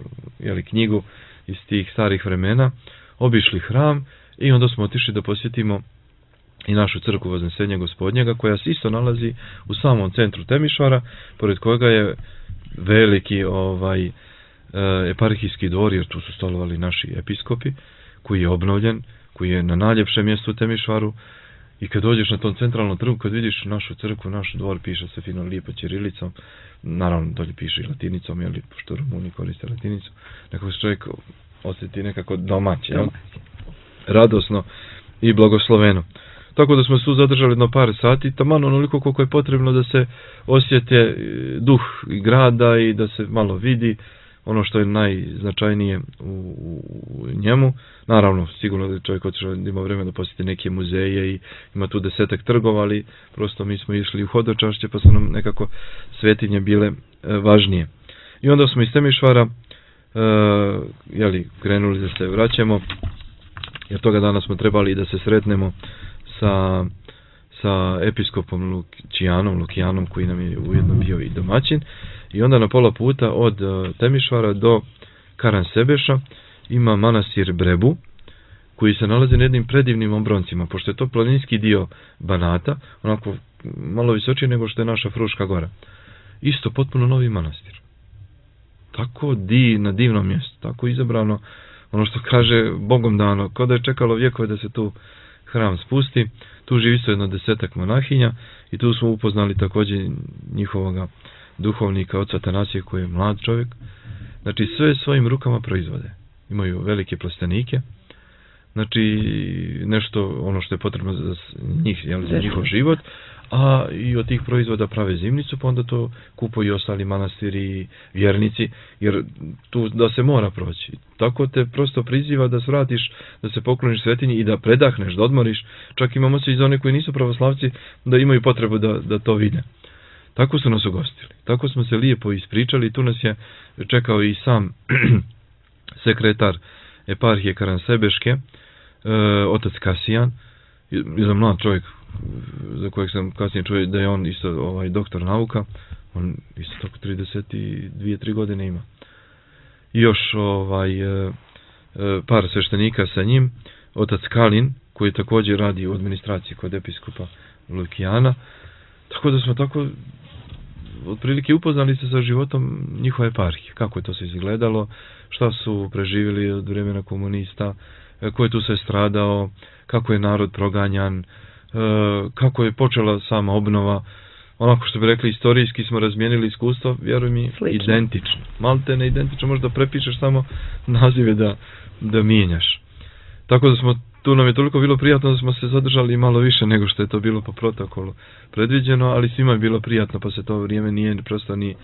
knjigu iz tih starih vremena. Obišli hram i onda smo otišli da posjetimo i našu crkvu Voznesenja Gospodnjega, koja se isto nalazi u samom centru Temišvara, pored kojega je veliki eparhijski dvor, jer tu su stolovali naši episkopi, koji je obnovljen, koji je na najljepšem mjestu u Temišvaru, i kad dođeš na tom centralnom trgu, kad vidiš našu crkvu, naš dvor, piše se fino lijepo ćirilicom, naravno dolje piše i latinicom, pošto Rumuni koriste latinicu, nekako se čovjek osjeti nekako domaće, radosno i blagosloveno. Tako da smo se tu zadržali na par sati, taman onoliko koliko je potrebno da se osjete duh grada i da se malo vidi ono što je najznačajnije u njemu. Naravno, sigurno da čovjek otišao da ima vremena da posjeti neke muzeje i ima tu 10 trgova, ali prosto mi smo išli u hodočašće, pa su nam nekako svetinje bile važnije. I onda smo iz Temišvara krenuli da se vraćamo, jer toga dana smo trebali da se sretnemo sa episkopom Lukijanom, koji nam je ujedno bio i domaćin. I onda na pola puta od Temišvara do Karansebeša ima manastir Brebu, koji se nalazi na jednim predivnim obroncima, pošto je to planinski dio Banata, onako malo visočije nego što je naša Fruška gora. Isto potpuno novi manastir. Tako na divnom mjestu, tako izabrano, ono što kaže Bogom dano, kao da je čekalo vjekove da se tu hram spusti. Tu živi isto jedno 10 monahinja i tu smo upoznali također njihovoga duhovnika, oca Tanasije, koji je mlad čovjek. Znači, sve svojim rukama proizvode. Imaju velike plastenike, znači nešto ono što je potrebno za njih, za njihov život, a i od tih proizvoda prave zimnicu, pa onda to kupuju i ostali manastiri i vjernici, jer tu da se mora proći. Tako te prosto priziva da svratiš, da se pokloniš svetinji i da predahneš, da odmoriš. Čak imamo se i za one koji nisu pravoslavci da imaju potrebu da to vide. Tako su nas ugostili. Tako smo se lijepo ispričali. Tu nas je čekao i sam sekretar eparhije Karansebeške, otac Kasijan, jedan mlad čovjek za kojeg sam kasnije čuo da je on isto doktor nauka. On isto tako 32-3 godine ima. I još par sveštenika sa njim, otac Kalin, koji također radi u administraciji kod episkopa Lukijana. Tako da smo tako otprilike upoznali se sa životom njihove eparhije, kako je to se izgledalo, šta su preživjeli od vremena komunista, ko je tu se stradao, kako je narod proganjan, kako je počela sama obnova. Onako što bi rekli, istorijski smo razmijenili iskustvo, vjeruj mi, identično. Malte ne identično, možda prepišeš samo nazive da mijenjaš. Tako da smo, tu nam je toliko bilo prijatno da smo se zadržali malo više nego što je to bilo po protokolu predviđeno, ali svima je bilo prijatno pa se to vrijeme nije prosto ni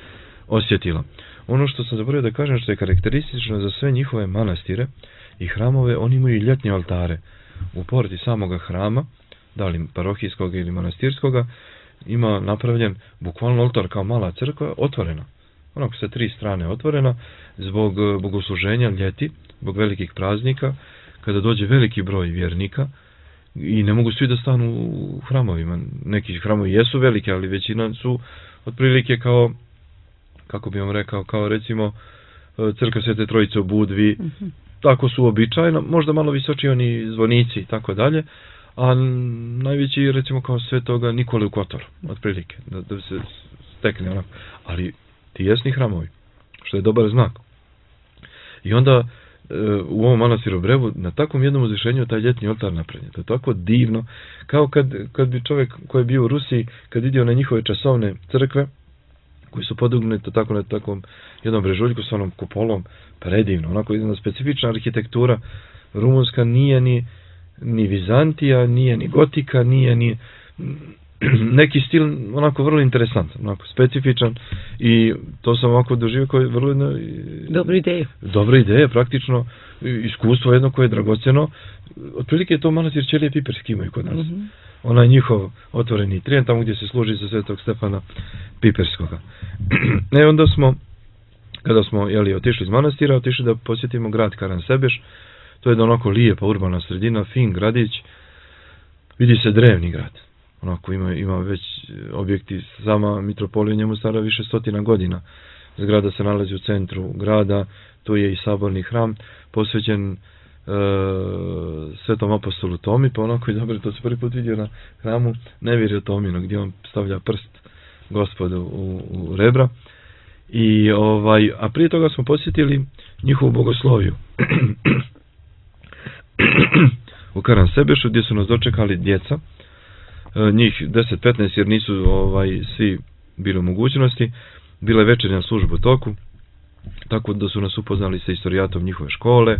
osjetilo. Ono što sam zaboravio da kažem, što je karakteristično za sve njihove manastire i hramove, oni imaju i ljetne oltare. U porti samoga hrama, da li parohijskog ili manastirskoga, ima napravljen bukvalno oltar kao mala crkva, otvorena. Onako sa 3 strane otvorena, zbog bogosluženja ljeti, zbog velikih praznika, kada dođe veliki broj vjernika i ne mogu svi da stanu u hramovima. Neki hramovi jesu velike, ali većina su otprilike kao, kako bi vam rekao, kao recimo crkva Svete Trojice u Budvi, tako su običajno, možda malo visoči oni zvonici i tako dalje, a najveći recimo kao Svetoga Nikole u Kotoru, otprilike, da se stekne onako. Ali tijesni hramovi, što je dobar znak. I onda u ovom manastiru Brevu na takvom jednom uzvišenju taj ljetni oltar napravljen. To je tako divno, kao kad bi čovjek koji je bio u Rusiji, kad vidio na njihove časovne crkve, koji su podugnute tako na takvom jednom brežuljku s onom kupolom, predivno, onako jedna specifična arhitektura. Rumunska nije ni Vizantija, nije ni Gotika, nije ni neki stil onako vrlo interesantan, onako specifičan, i to sam ovako doživio koji je vrlo dobra ideja, praktično iskustvo jedno koje je dragocjeno. Otprilike je to manastir Ćelije Piperski imaju kod nas. Onaj njihov otvoreni trijen, tamo gdje se služi za Svetog Stefana Piperskoga. Onda smo, kada smo otišli iz manastira, otišli da posjetimo grad Karansebeš. To je onako lijepa urbana sredina, fin gradić, vidi se drevni grad. Onako ima već objekti, sama mitropolija njemu stara više 100 godina. Zgrada se nalazi u centru grada, tu je i saborni hram posvećen Svetom apostolu Tomi, pa onako je dobro, to se prvi put vidio na hramu Nevjerje Tomino, gdje on stavlja prst Gospodu u rebra. A prije toga smo posjetili njihovu bogosloviju u Karansebešu, gdje su nas dočekali djeca, njih 10-15, jer nisu svi bili u mogućnosti. Bila je večernja služba u toku, tako da su nas upoznali sa historijatom njihove škole,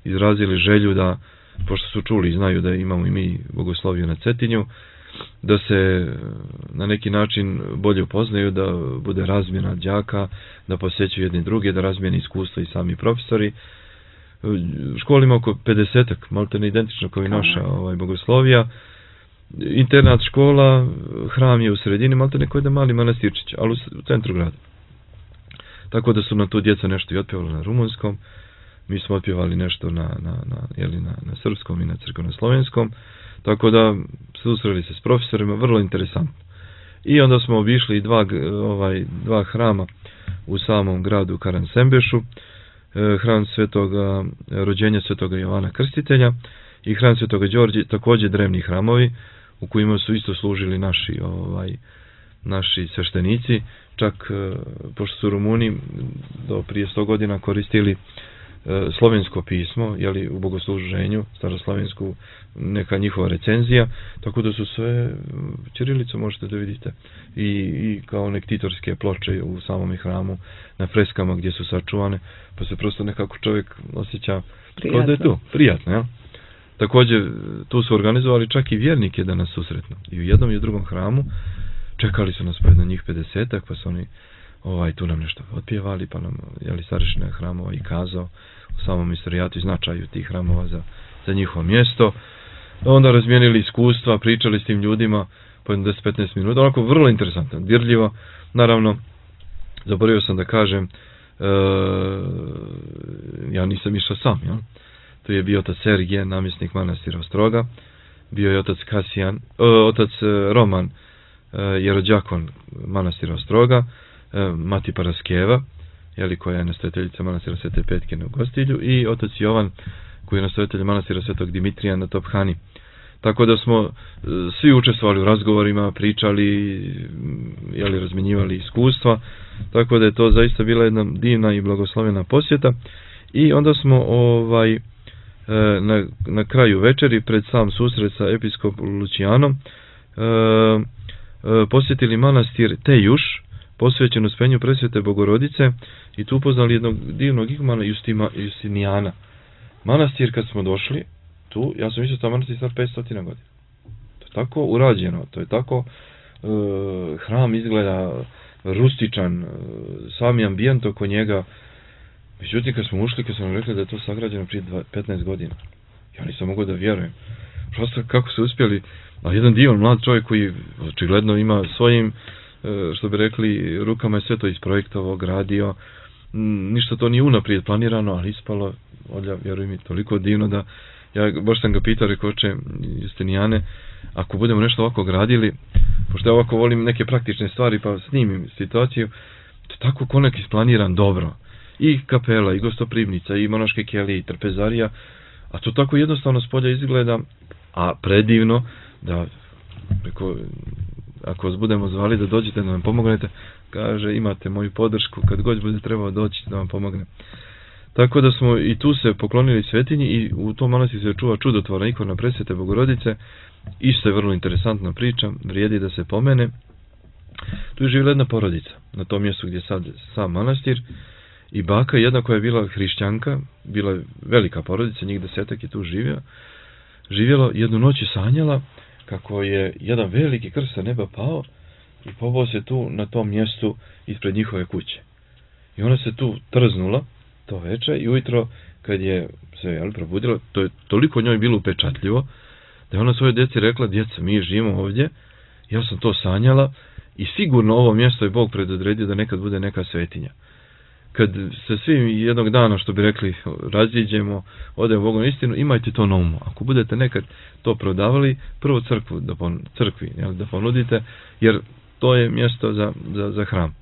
izrazili želju da, pošto su čuli i znaju da imamo i mi bogosloviju na Cetinju, da se na neki način bolje upoznaju, da bude razmjena đaka, da posjećuju jedni druge, da razmijene iskustva i sami profesori. Škola ima oko 50-ak, malo te neidentično kao i naša bogoslovija. Internat škola, hram je u sredini, malo te neko je da mali manastirčić, ali u centru grada. Tako da su na tu djeca nešto i otpjevali na rumunskom, mi smo otpjevali nešto na srpskom i na crkveno-slovenskom, tako da susreli se s profesorima, vrlo interesantno. I onda smo obišli dva hrama u samom gradu Karansembešu, hram Svetoga rođenja Svetoga Jovana Krstitelja i hram Svetoga Đorđe, također drevni hramovi u kojima su isto služili naši sveštenici, čak pošto su Rumuni do prije 100 godina koristili slovensko pismo, u bogosluženju, staroslovensku, neka njihova recenzija, tako da su sve ćirilicu možete da vidite i kao nektitorske ploče u samom hramu na freskama gdje su sačuvane, pa se prosto nekako čovjek osjeća kao da je tu, prijatno, ja? Također, tu su organizovali čak i vjernike da nas susretnu. I u jednom i u drugom hramu čekali su nas po jedno njih 50-ak, pa su oni tu nam nešto otpjevali, pa nam starešina hramova i kazao o samom istorijatu i značaju tih hramova za njihovo mjesto. Onda razmijenili iskustva, pričali s tim ljudima po 10-15 minuta, onako vrlo interesantno, dirljivo. Naravno, zaboravio sam da kažem, ja nisam išao sam, jel? Tu je bio otac Sergije, namjesnik manastira Ostroga, bio je otac Roman, jerođakon manastira Ostroga, mati Paraskeva, koja je nastojateljica manastira Svete Petke na Gostilju, i otac Jovan, koji je nastojatelj manastira Svetog Dimitrija na Tophani. Tako da smo svi učestvovali u razgovorima, pričali, razmenjivali iskustva, tako da je to zaista bila jedna divna i blagoslovena posjeta. I onda smo na kraju večeri, pred sam susret sa episkopom Lucijanom, posjetili manastir Tejuš, posvećen Uspenju Presvete Bogorodice, i tu upoznali jednog divnog igumana Justinijana. Manastir, kad smo došli tu, ja sam mislio da manastir star 500 godina. To je tako urađeno, to je tako, hram izgleda rustičan, sami ambijent oko njega. Međutim, kad smo ušli, kad smo rekli da je to sagrađeno prije 15 godina, ja nisam mogao da vjerujem. Prosto kako su uspjeli, a jedan divan mlad čovjek koji očigledno ima svojim, što bi rekli, rukama je sve to isprojektovao, gradio, ništa to nije unaprijed planirano, ali ispalo, vjerujem mi, toliko divno da, ja baš sam ga pitao, rekao, oče Justinijane, ako budemo nešto ovako gradili, pošto ja ovako volim neke praktične stvari, pa snimim situaciju, to je tako konak isplaniran dobro. I kapela, i gostoprimnica, i monaške kelije, i trpezarija, a to tako jednostavno s polja izgleda, a predivno, da, ako vas budemo zvali da dođete da nam pomognete, kaže, imate moju podršku, kad god bude trebao doći da vam pomogne. Tako da smo i tu se poklonili svetinji, i u tom manastiru se čuva čudotvorna ikona Presvete Bogorodice. Isto je vrlo interesantna priča, vrijedi da se pomene. Tu je živjela jedna porodica, na tom mjestu gdje je sad sam manastir, i baka jedna koja je bila hrišćanka, bila velika porodica, njih 10 je tu živjelo, jednu noć je sanjala kako je jedan veliki krst sa neba pao i pobao se tu na tom mjestu ispred njihove kuće. I ona se tu trznula to veče, i ujutro kad je se probudila, to je toliko njoj bilo upečatljivo da je ona svoje djeci rekla, djeca, mi živimo ovdje, ja sam to sanjala i sigurno ovo mjesto je Bog predodredio da nekad bude neka svetinja. Kad se svi jednog dana, što bi rekli, raziđemo, odemo Bogu na istinu, imajte to na umu. Ako budete nekad to prodavali, prvo crkvi da ponudite, jer to je mjesto za hram.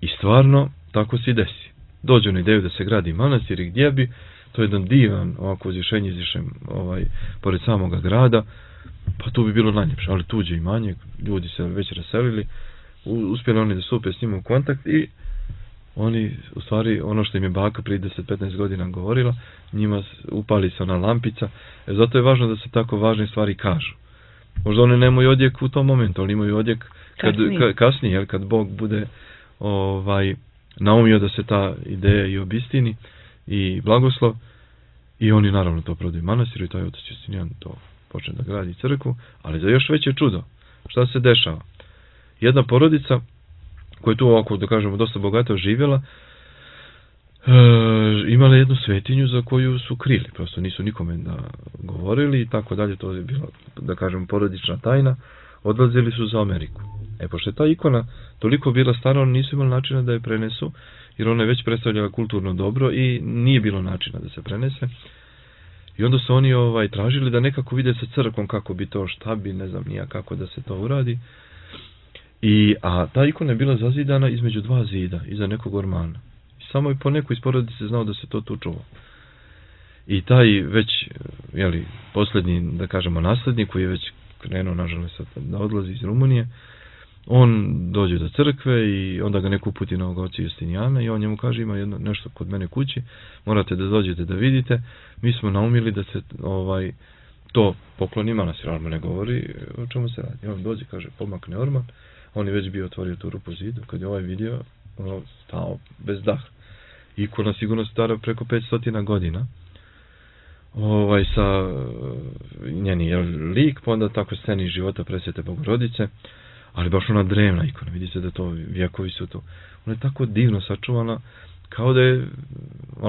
I stvarno, tako se i desi. Dođe na ideju da se gradi manastir, i gdje bi, to je jedan divan ovako uzvišenje izvišen pored samoga grada, pa tu bi bilo najljepše, ali tuđe imanje, ljudi se već raselili, uspjeli oni da stupe s njim u kontakt, i oni, u stvari, ono što im je baka prije 10-15 godina govorila, njima upali se ona lampica, zato je važno da se tako važne stvari kažu. Možda oni nemaju odjek u tom momentu, ali imaju odjek kasnije, kad Bog bude naumio da se ta ideja i obistini i blagoslov, i oni naravno to prodaju manastiru, i taj otac Justinijan to počne da gradi crkvu, ali za još veće čudo. Šta se dešava? Jedna porodica koja je tu ovako, da kažemo, dosta bogato živjela, imala jednu svetinju za koju su krili, prosto nisu nikome da govorili i tako dalje, to je bila, da kažemo, porodična tajna. Odlazili su za Ameriku. Pošto je ta ikona toliko bila stara, oni nisu imali načina da je prenesu, jer ona je već predstavljala kulturno dobro i nije bilo načina da se prenese. I onda su oni tražili da nekako vide sa crkvom kako bi to, šta bi, ne znam nija kako da se to uradi. A ta ikona je bila zazidana između dva zida, iza nekog ormana. I samo je po nekoj iz porodice znao da se to tu čuva. I taj već, posljednji, da kažemo, naslednik, koji je već krenuo, nažalost, da odlazi iz Rumunije, on dođe do crkve i onda ga neko uputi na oca Justinijana, i on njemu kaže, ima nešto kod mene kući, morate da dođete da vidite, mi smo naumili da se to pokloni manastir, ali ne govori o čemu se radi. On dođe, kaže, pomakne orman, on je već bio otvorio tu rupu zidu, kad je vidio, stao bez daha. Ikona sigurno stara preko 500 godina. sa njeni lik, pa onda tako sceni života Presvete Bogorodice, ali baš ona drevna ikona, vidi se da to vjekovi su to. Ona je tako divno sačuvana, kao da je,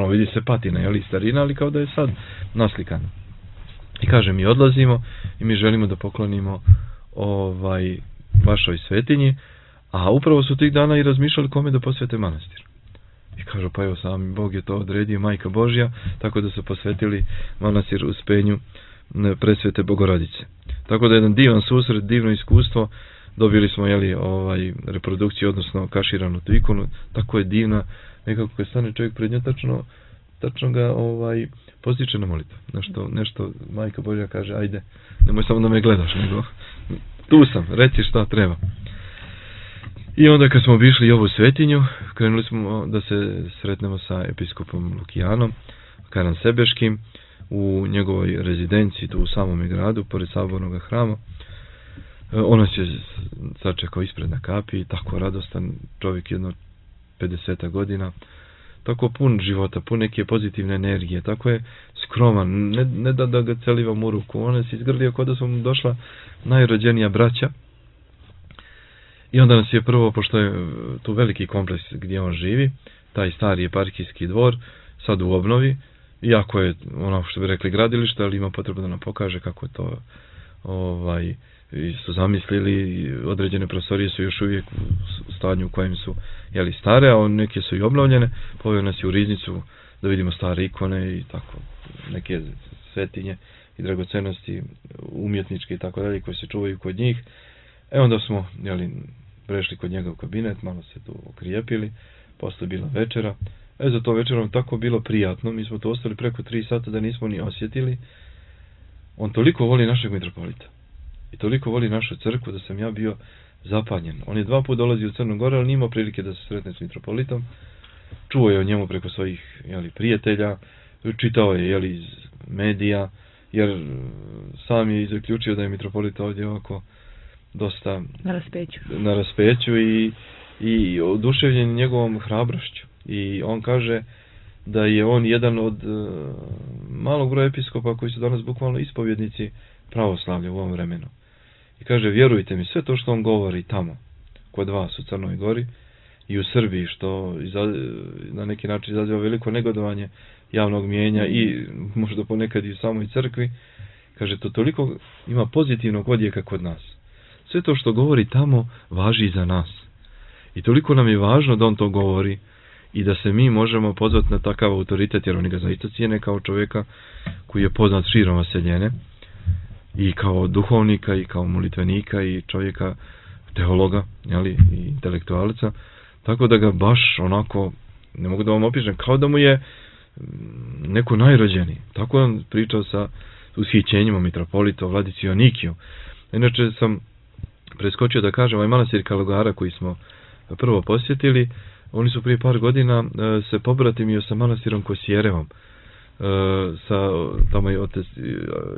vidi se patina, starina, ali kao da je sad naslikana. I kaže, mi odlazimo i mi želimo da poklonimo vašoj svetinji, a upravo su tih dana i razmišljali kome da posvete manastir. I kažu, pa evo, sami Bog je to odredio, Majka Božja, tako da su posvetili manastir Uspenju Presvete Bogorodice. Tako da je jedan divan susret, divno iskustvo, dobili smo reprodukciju, odnosno kaširanu tu ikonu, tako je divna, nekako kad stane čovjek pred njom, tačno ga postiče na molitvu. Nešto Majka Božja kaže, ajde, nemoj samo da me gledaš, nego tu sam, reci šta treba. I onda kad smo obišli ovu svetinju, krenuli smo da se sretnemo sa episkopom Lukijanom, Karansebeškim, u njegovoj rezidenciji tu u samom gradu, pored sabornog hrama. On nas je sačekao ispred na kapi, tako radostan čovjek, jedno 50 godina, tako pun života, pun neke pozitivne energije, tako je skroman, ne da ga celivam u ruku, on se izgrlio kao da su mu došla najrođenija braća. I onda nas je prvo, pošto je tu veliki kompleks gdje on živi, taj stari eparhijski dvor, sad u obnovi, iako je ono što bi rekli gradilište, ali ima potrebu da nam pokaže kako to su zamislili, određene prostorije su još uvijek u stanju u kojem su stare, a neke su i obnovljene. Poveo nas je u riznicu da vidimo stare ikone i tako neke svetinje i dragocenosti umjetničke i tako dalje koje se čuvaju kod njih. Onda smo prešli kod njega u kabinet, malo se tu okrijepili, posle bila večera. Za to večerom tako bilo prijatno, mi smo tu ostali preko 3 sata da nismo ni osjetili. On toliko voli našeg mitropolita i toliko voli našu crkvu da sam ja bio zapanjen. On je 2 puta dolazio u Crnu Goru, ali nije imao prilike da se sretne s mitropolitom. Čuo je o njemu preko svojih prijatelja, čitao je iz medija, jer sam je zaključio da je mitropolit ovdje ovako dosta na raspeću i oduševljen njegovom hrabrošću. I on kaže da je on jedan od malog broja episkopa koji su danas bukvalno ispovjednici pravoslavlja u ovom vremenu. I kaže, vjerujte mi, sve to što on govori tamo, kod vas u Crnoj Gori i u Srbiji, što na neki način izaziva veliko negodovanje javnog mijenja i možda ponekad i u samoj crkvi, kaže, to toliko ima pozitivnog odjeka kod nas. Sve to što govori tamo važi i za nas. I toliko nam je važno da on to govori i da se mi možemo pozvati na takav autoritet, jer oni ga zaista cijene kao čovjeka koji je poznat širom vaseljene i kao duhovnika i kao molitvenika i čovjeka teologa, i intelektualca, tako da ga baš onako, ne mogu da vam opišem, kao da mu je neko najrođeniji. Tako je on pričao sa ushićenjima mitropolita Vladici Jonikiju. Inače sam preskočio da kažem, ovaj manastir Kalugara koji smo prvo posjetili, oni su prije par godina se pobratimio sa manastirom Kosjerevom, tamo je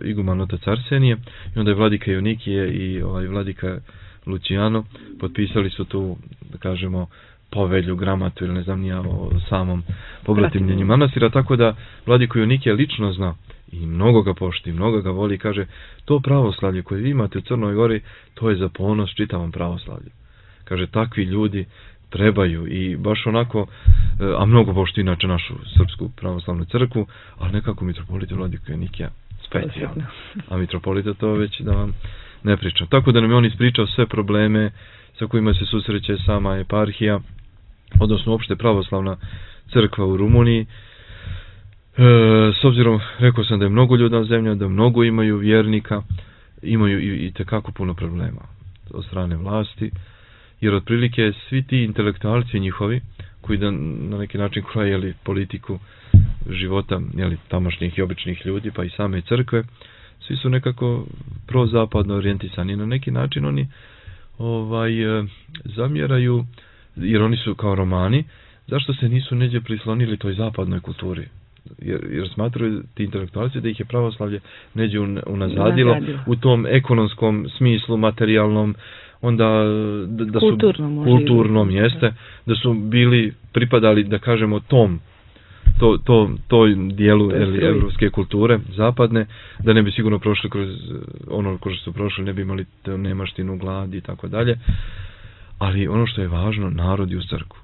iguman otac Arsenije, i onda je vladika Jonikije i vladika Lucijano potpisali su tu, da kažemo, povelju, gramatu ili ne znam nija o samom pobratimljenju manastira, tako da vladiku Jonikije lično zna i mnogo ga pošti, mnogo ga voli, kaže, to pravoslavlje koje vi imate u Crnoj Gori, to je za ponos čitavom pravoslavlju. Kaže, takvi ljudi trebaju i baš onako, a mnogo pošti inače našu srpsku pravoslavnu crkvu, ali nekako mitropolita vladiku Jonikija specijalno. A mitropolita to već da vam ne pričam. Tako da nam je on ispričao sve probleme sa kojima se susreće sama eparhija, odnosno uopšte pravoslavna crkva u Rumuniji. S obzirom, rekao sam da je mnogo ljudna zemlja, da mnogo imaju vjernika, imaju i tekako puno problema od strane vlasti, jer otprilike svi ti intelektualci njihovi, koji da na neki način kroje politiku života tamošnjih i običnih ljudi, pa i same crkve, svi su nekako prozapadno orijentisani. Na neki način oni zamjeraju, jer oni su kao Romani, zašto se nisu neđe prislonili toj zapadnoj kulturi. Jer smatruju ti intelektualci da ih je pravoslavlje neđe unazadilo u tom ekonomskom smislu, materijalnom, onda da su kulturnom jeste, da su bili, pripadali, da kažemo, tom toj dijelu evropske kulture, zapadne, da ne bi sigurno prošli kroz ono kroz što su prošli, ne bi imali nemaštinu, glad i tako dalje. Ali ono što je važno, narod je u crkvu.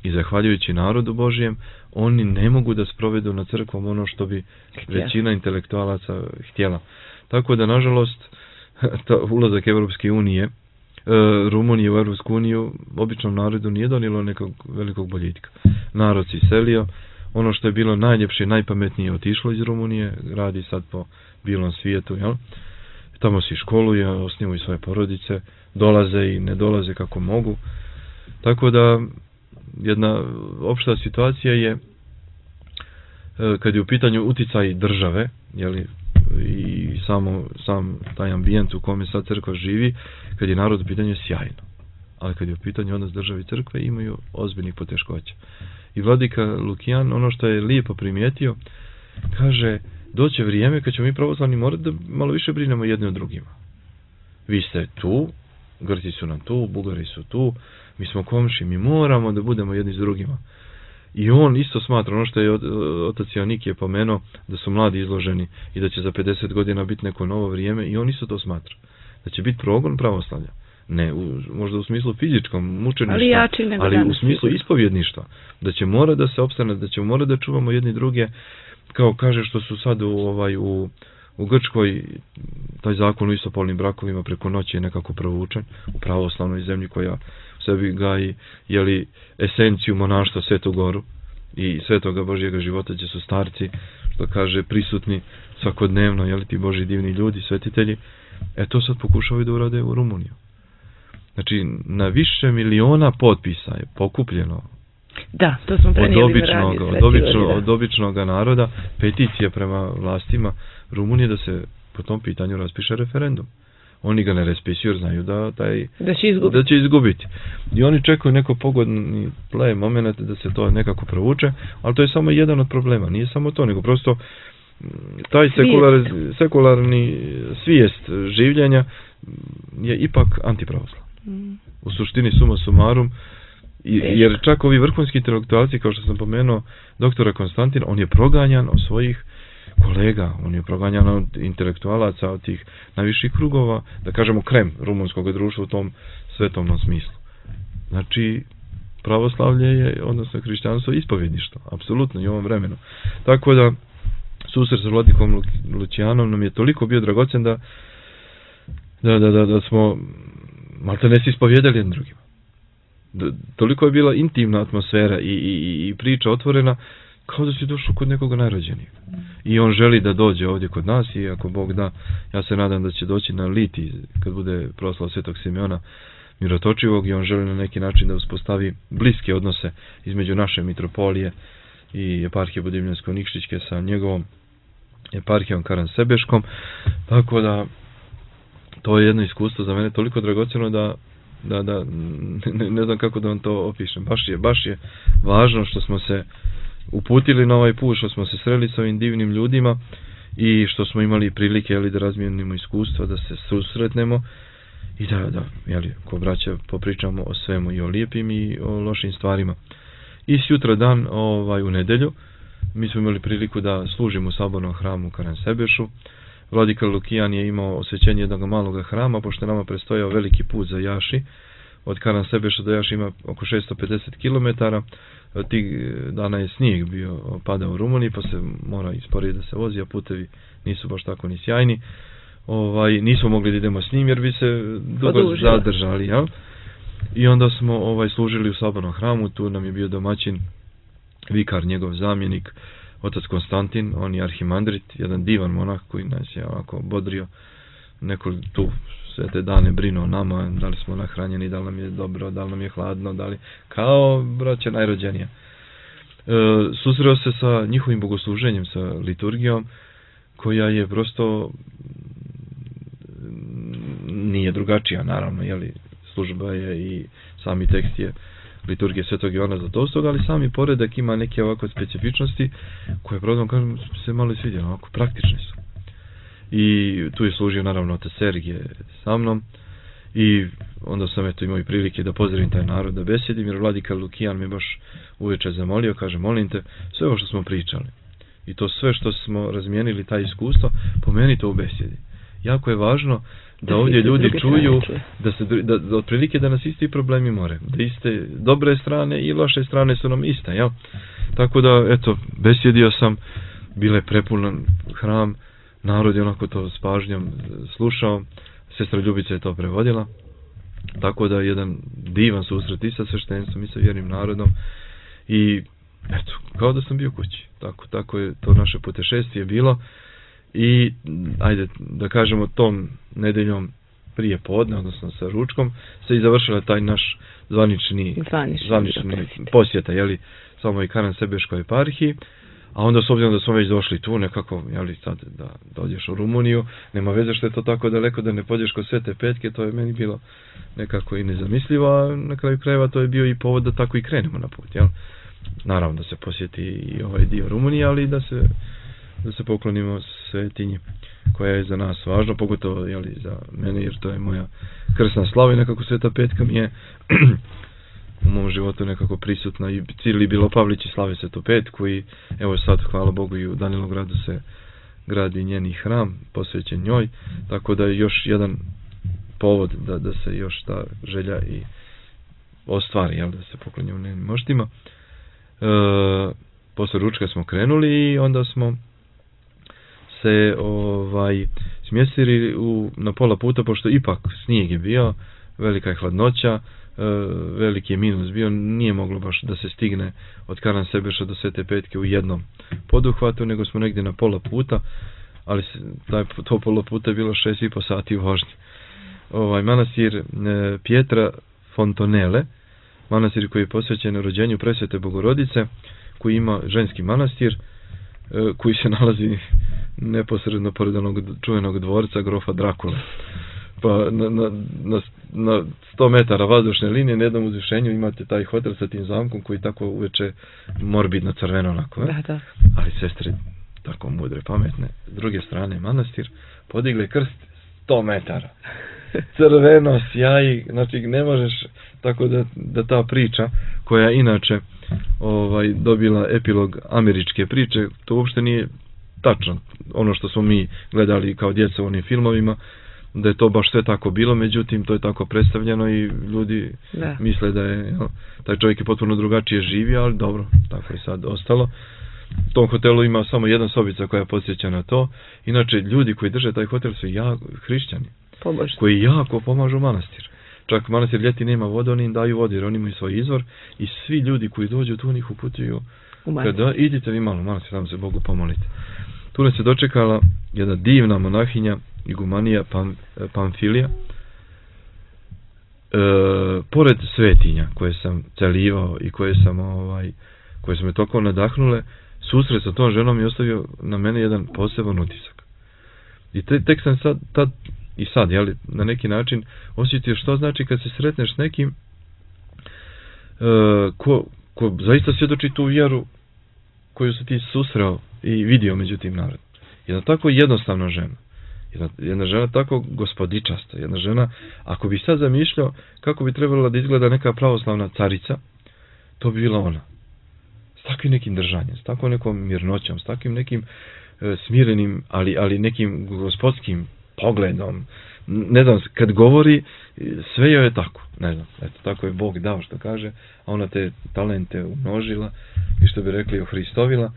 I zahvaljujući narodu Božijem, oni ne mogu da sprovedu na crkvom ono što bi većina intelektualaca htjela. Tako da, nažalost, ulazak Evropske unije, Rumunije u Evropsku uniju, običnom narodu nije donijelo nekog velikog boljitka. Narod se iselio, ono što je bilo najljepše i najpametnije otišlo iz Rumunije, radi sad po bilom svijetu, jel? Tamo se školuje, osnivaju svoje porodice, dolaze i ne dolaze kako mogu. Tako da, jedna opšta situacija je, kad je u pitanju uticaj države, jeli, i sam taj ambijent u kome sad crkva živi, kad je narod u pitanju, sjajno. Ali kad je u pitanju odnos države i crkve, imaju ozbiljnih poteškoća. I vladika Lukijan, ono što je lijepo primijetio, kaže, doće vrijeme kad ćemo mi pravoslavni morati da malo više brinemo jedni o drugima. Vi ste tu, Grci su nam tu, Bugari su tu, mi smo komši, mi moramo da budemo jedni s drugima. I on isto smatra, ono što je otac Jonik je pomenuo, da su mladi izloženi i da će za 50 godina biti neko novo vrijeme, i on isto to smatra. Da će biti progon pravoslavlja. Ne, možda u smislu fizičkom, mučeništva, ali u smislu ispovjedništva. Da će mora da se opstane, da će mora da čuvamo jedni druge, kao kaže što su sad u Grčkoj, taj zakon o istopolnim brakovima preko noći je nekako provučen u pravoslavnoj zemlji koja u sebi gaji, jeli, esenciju monaštva, Svetu Goru i svetoga Božjega života, gdje su starci, što kaže, prisutni svakodnevno, jeli, ti Božji divni ljudi, svetitelji. To sad pokušavaju da urade u Rumuniju. Znači, na miliona potpisa je pokupljeno. Da, to smo prenijeli od običnog naroda, peticija prema vlastima Rumunije da se po tom pitanju raspiše referendum. Oni ga ne raspisuju jer znaju da će izgubiti. I oni čekaju neko pogodni moment da se to nekako provuče, ali to je samo jedan od problema. Nije samo to, nego prosto taj sekularni svijest življenja je ipak antipravoslavni. U suštini suma sumarum, jer čak ovi vrhunski intelektualci, kao što sam pomenuo, doktora Konstantina, on je proganjan od svojih kolega, on je proganjan od intelektualaca, od tih najviših krugova, da kažemo krem rumunskog društva u tom svetovnom smislu. Znači, pravoslavlje je, odnosno hrišćanstvo, ispovjedništvo, apsolutno i u ovom vremenu. Tako da, susret sa vladikom Lucijanom nam je toliko bio dragocen da smo malte ne se ispovjedali jednim drugima. Toliko je bila intimna atmosfera i priča otvorena, kao da si došao kod nekoga najrođenijeg. I on želi da dođe ovdje kod nas i ako Bog da, ja se nadam da će doći na Liti kad bude proslav Svetog Simeona Mirotočivog, i on želi na neki način da uspostavi bliske odnose između naše mitropolije i eparhije Budimljansko-Nikšićke sa njegovom eparhijom Karansebeškom. Tako da to je jedno iskustvo za mene toliko dragocjeno da ne znam kako da vam to opišem. Baš je važno što smo se uputili na ovaj put, što smo se sreli s ovim divnim ljudima i što smo imali prilike da razmijenimo iskustva, da se susretnemo i da ko braća popričamo o svemu, i o lijepim i o lošim stvarima. I sutra dan, u nedelju, mi smo imali priliku da služimo u sabornom hramu u Karansebešu. Vladika Lukijan je imao osvećenje jednog maloga hrama, pošto nama prestojao veliki put za Jaši. Od Karansebeša do Jaši ima oko 650 km. Tih dana je snijeg padao u Rumuniji, pa se mora sporije da se vozi, a putevi nisu baš tako ni sjajni. Nismo mogli da idemo s njim jer bi se dugo zadržali. Ja? I onda smo služili u sabornom hramu, tu nam je bio domaćin, vikar, njegov zamjenik, otac Konstantin, on je arhimandrit, jedan divan monah koji nas je ovako bodrio, neko tu sve te dane brinuo o nama, da li smo nahranjeni, da li nam je dobro, da li nam je hladno, da li, kao braća najrođenija. Susreo se sa njihovim bogosluženjem, sa liturgijom, koja je prosto nije drugačija, naravno, jeli, služba je i sami tekst je liturgije Svetog Jovana Zlatovstog, ali sami poredak ima neke ovako specifičnosti koje, pravdom kažem, se malo svidjelo, ovako praktične su. I tu je služio naravno otac Sergije sa mnom i onda sam eto imao i prilike da pozdravim taj narod, da besjedim, jer vladika Lukijan me baš uveče zamolio, kaže, molim te, sve ovo što smo pričali i to sve što smo razmijenili, taj iskustvo, pomeni to u besjedi. Jako je važno da ovdje ljudi čuju da otprilike da nas isti problemi more, da iste dobre strane i loše strane su nam iste, jel? Tako da, eto, besjedio sam, bile prepunan hram, narod je onako to s pažnjom slušao, sestra Ljubica je to prevodila, tako da jedan divan susret i sa sveštenstvom i sa vjernim narodom i eto, kao da sam bio kući, tako je to naše putešestvije bilo i ajde da kažemo tom nedeljom prije podne, odnosno sa ručkom, se i završila taj naš zvanični posjeta, jeli, samo i Karan Sebeškoj eparhiji, a onda s obzirom da smo već došli tu nekako, jeli, sad da dođeš u Rumuniju, nema veze što je to tako daleko da ne pođeš kod Svete Petke, to je meni bilo nekako i nezamislivo, a na kraju krajeva to je bio i povod da tako i krenemo na put, jel? Naravno da se posjeti i ovaj dio Rumunije, ali da se poklonimo svetinji koja je za nas važna, pogotovo jeli, za mene, jer to je moja krsna slava i nekako Sveta Petka mi je u mom životu nekako prisutna i cijeli Bilopavlići slave Svetu Petku i evo sad, hvala Bogu, i u Danilogradu se gradi njeni hram posvećen njoj, tako da je još jedan povod da se još ta želja i ostvari, jel, da se poklonimo njenim moštima. Posle ručka smo krenuli i onda smo se smjestili na pola puta, pošto ipak snijeg je bio, velika je hladnoća, veliki je minus bio, nije moglo baš da se stigne od Karan Sebeša do Svete Petke u jednom poduhvatu, nego smo negdje na pola puta, ali to pola puta je bilo 6,5 sati u vožnji. Manastir Pietra Fontonele, manastir koji je posvećen rođenju Presvete Bogorodice, koji ima ženski manastir, koji se nalazi neposredno pored onog čuvenog dvorca grofa Drakule. Pa na 100 metara vazdušne linije na jednom uzvišenju imate taj hotel sa tim zamkom koji tako uveče morbidno crveno onako. Da. Ali sestre tako mudre, pametne. S druge strane manastir podigle krst 100 metara. Crveno, sjaji, znači ne možeš, tako da ta priča koja inače dobila epilog američke priče, to uopšte nije tačno. Ono što smo mi gledali kao djeca u onim filmovima, da je to baš sve tako bilo, međutim to je tako predstavljeno i ljudi misle da je taj čovjek je potpuno drugačije živio, ali dobro, tako je sad ostalo. U tom hotelu ima samo jedna sobica koja podsjeća na to. Inače, ljudi koji drže taj hotel su hrišćani, koji jako pomažu manastir. Čak manastir ljeti nema vodu, oni im daju vodu jer oni imaju svoj izvor i svi ljudi koji dođu tu njih uputuju kada idite vi malo manastir, tamo se Bogu pomolite. Tu nas je dočekala jedna divna monahinja, igumanija Pamfilija, pored svetinja koje sam celivao i koje su me toliko nadahnule, susret sa tom ženom je ostavio na mene jedan poseban utisak. I tek sam sad, jeli, na neki način osjetio što znači kad se sretneš s nekim ko zaista svjedoči tu vjeru koju se ti susreo i vidio među tim narodom. Jedna tako jednostavna žena. Jedna žena tako gospodičasta. Jedna žena, ako bi sad zamišljao kako bi trebala da izgleda neka pravoslavna carica, to bi bila ona. S takvim nekim držanjem, s takvom nekom mirnoćom, s takvim nekim smirenim, ali nekim gospodskim pogledom. Ne znam, kad govori, sve joj je tako. Ne znam, eto, tako je Bog dao što kaže, a ona te talente umnožila i što bi rekli ohristovila.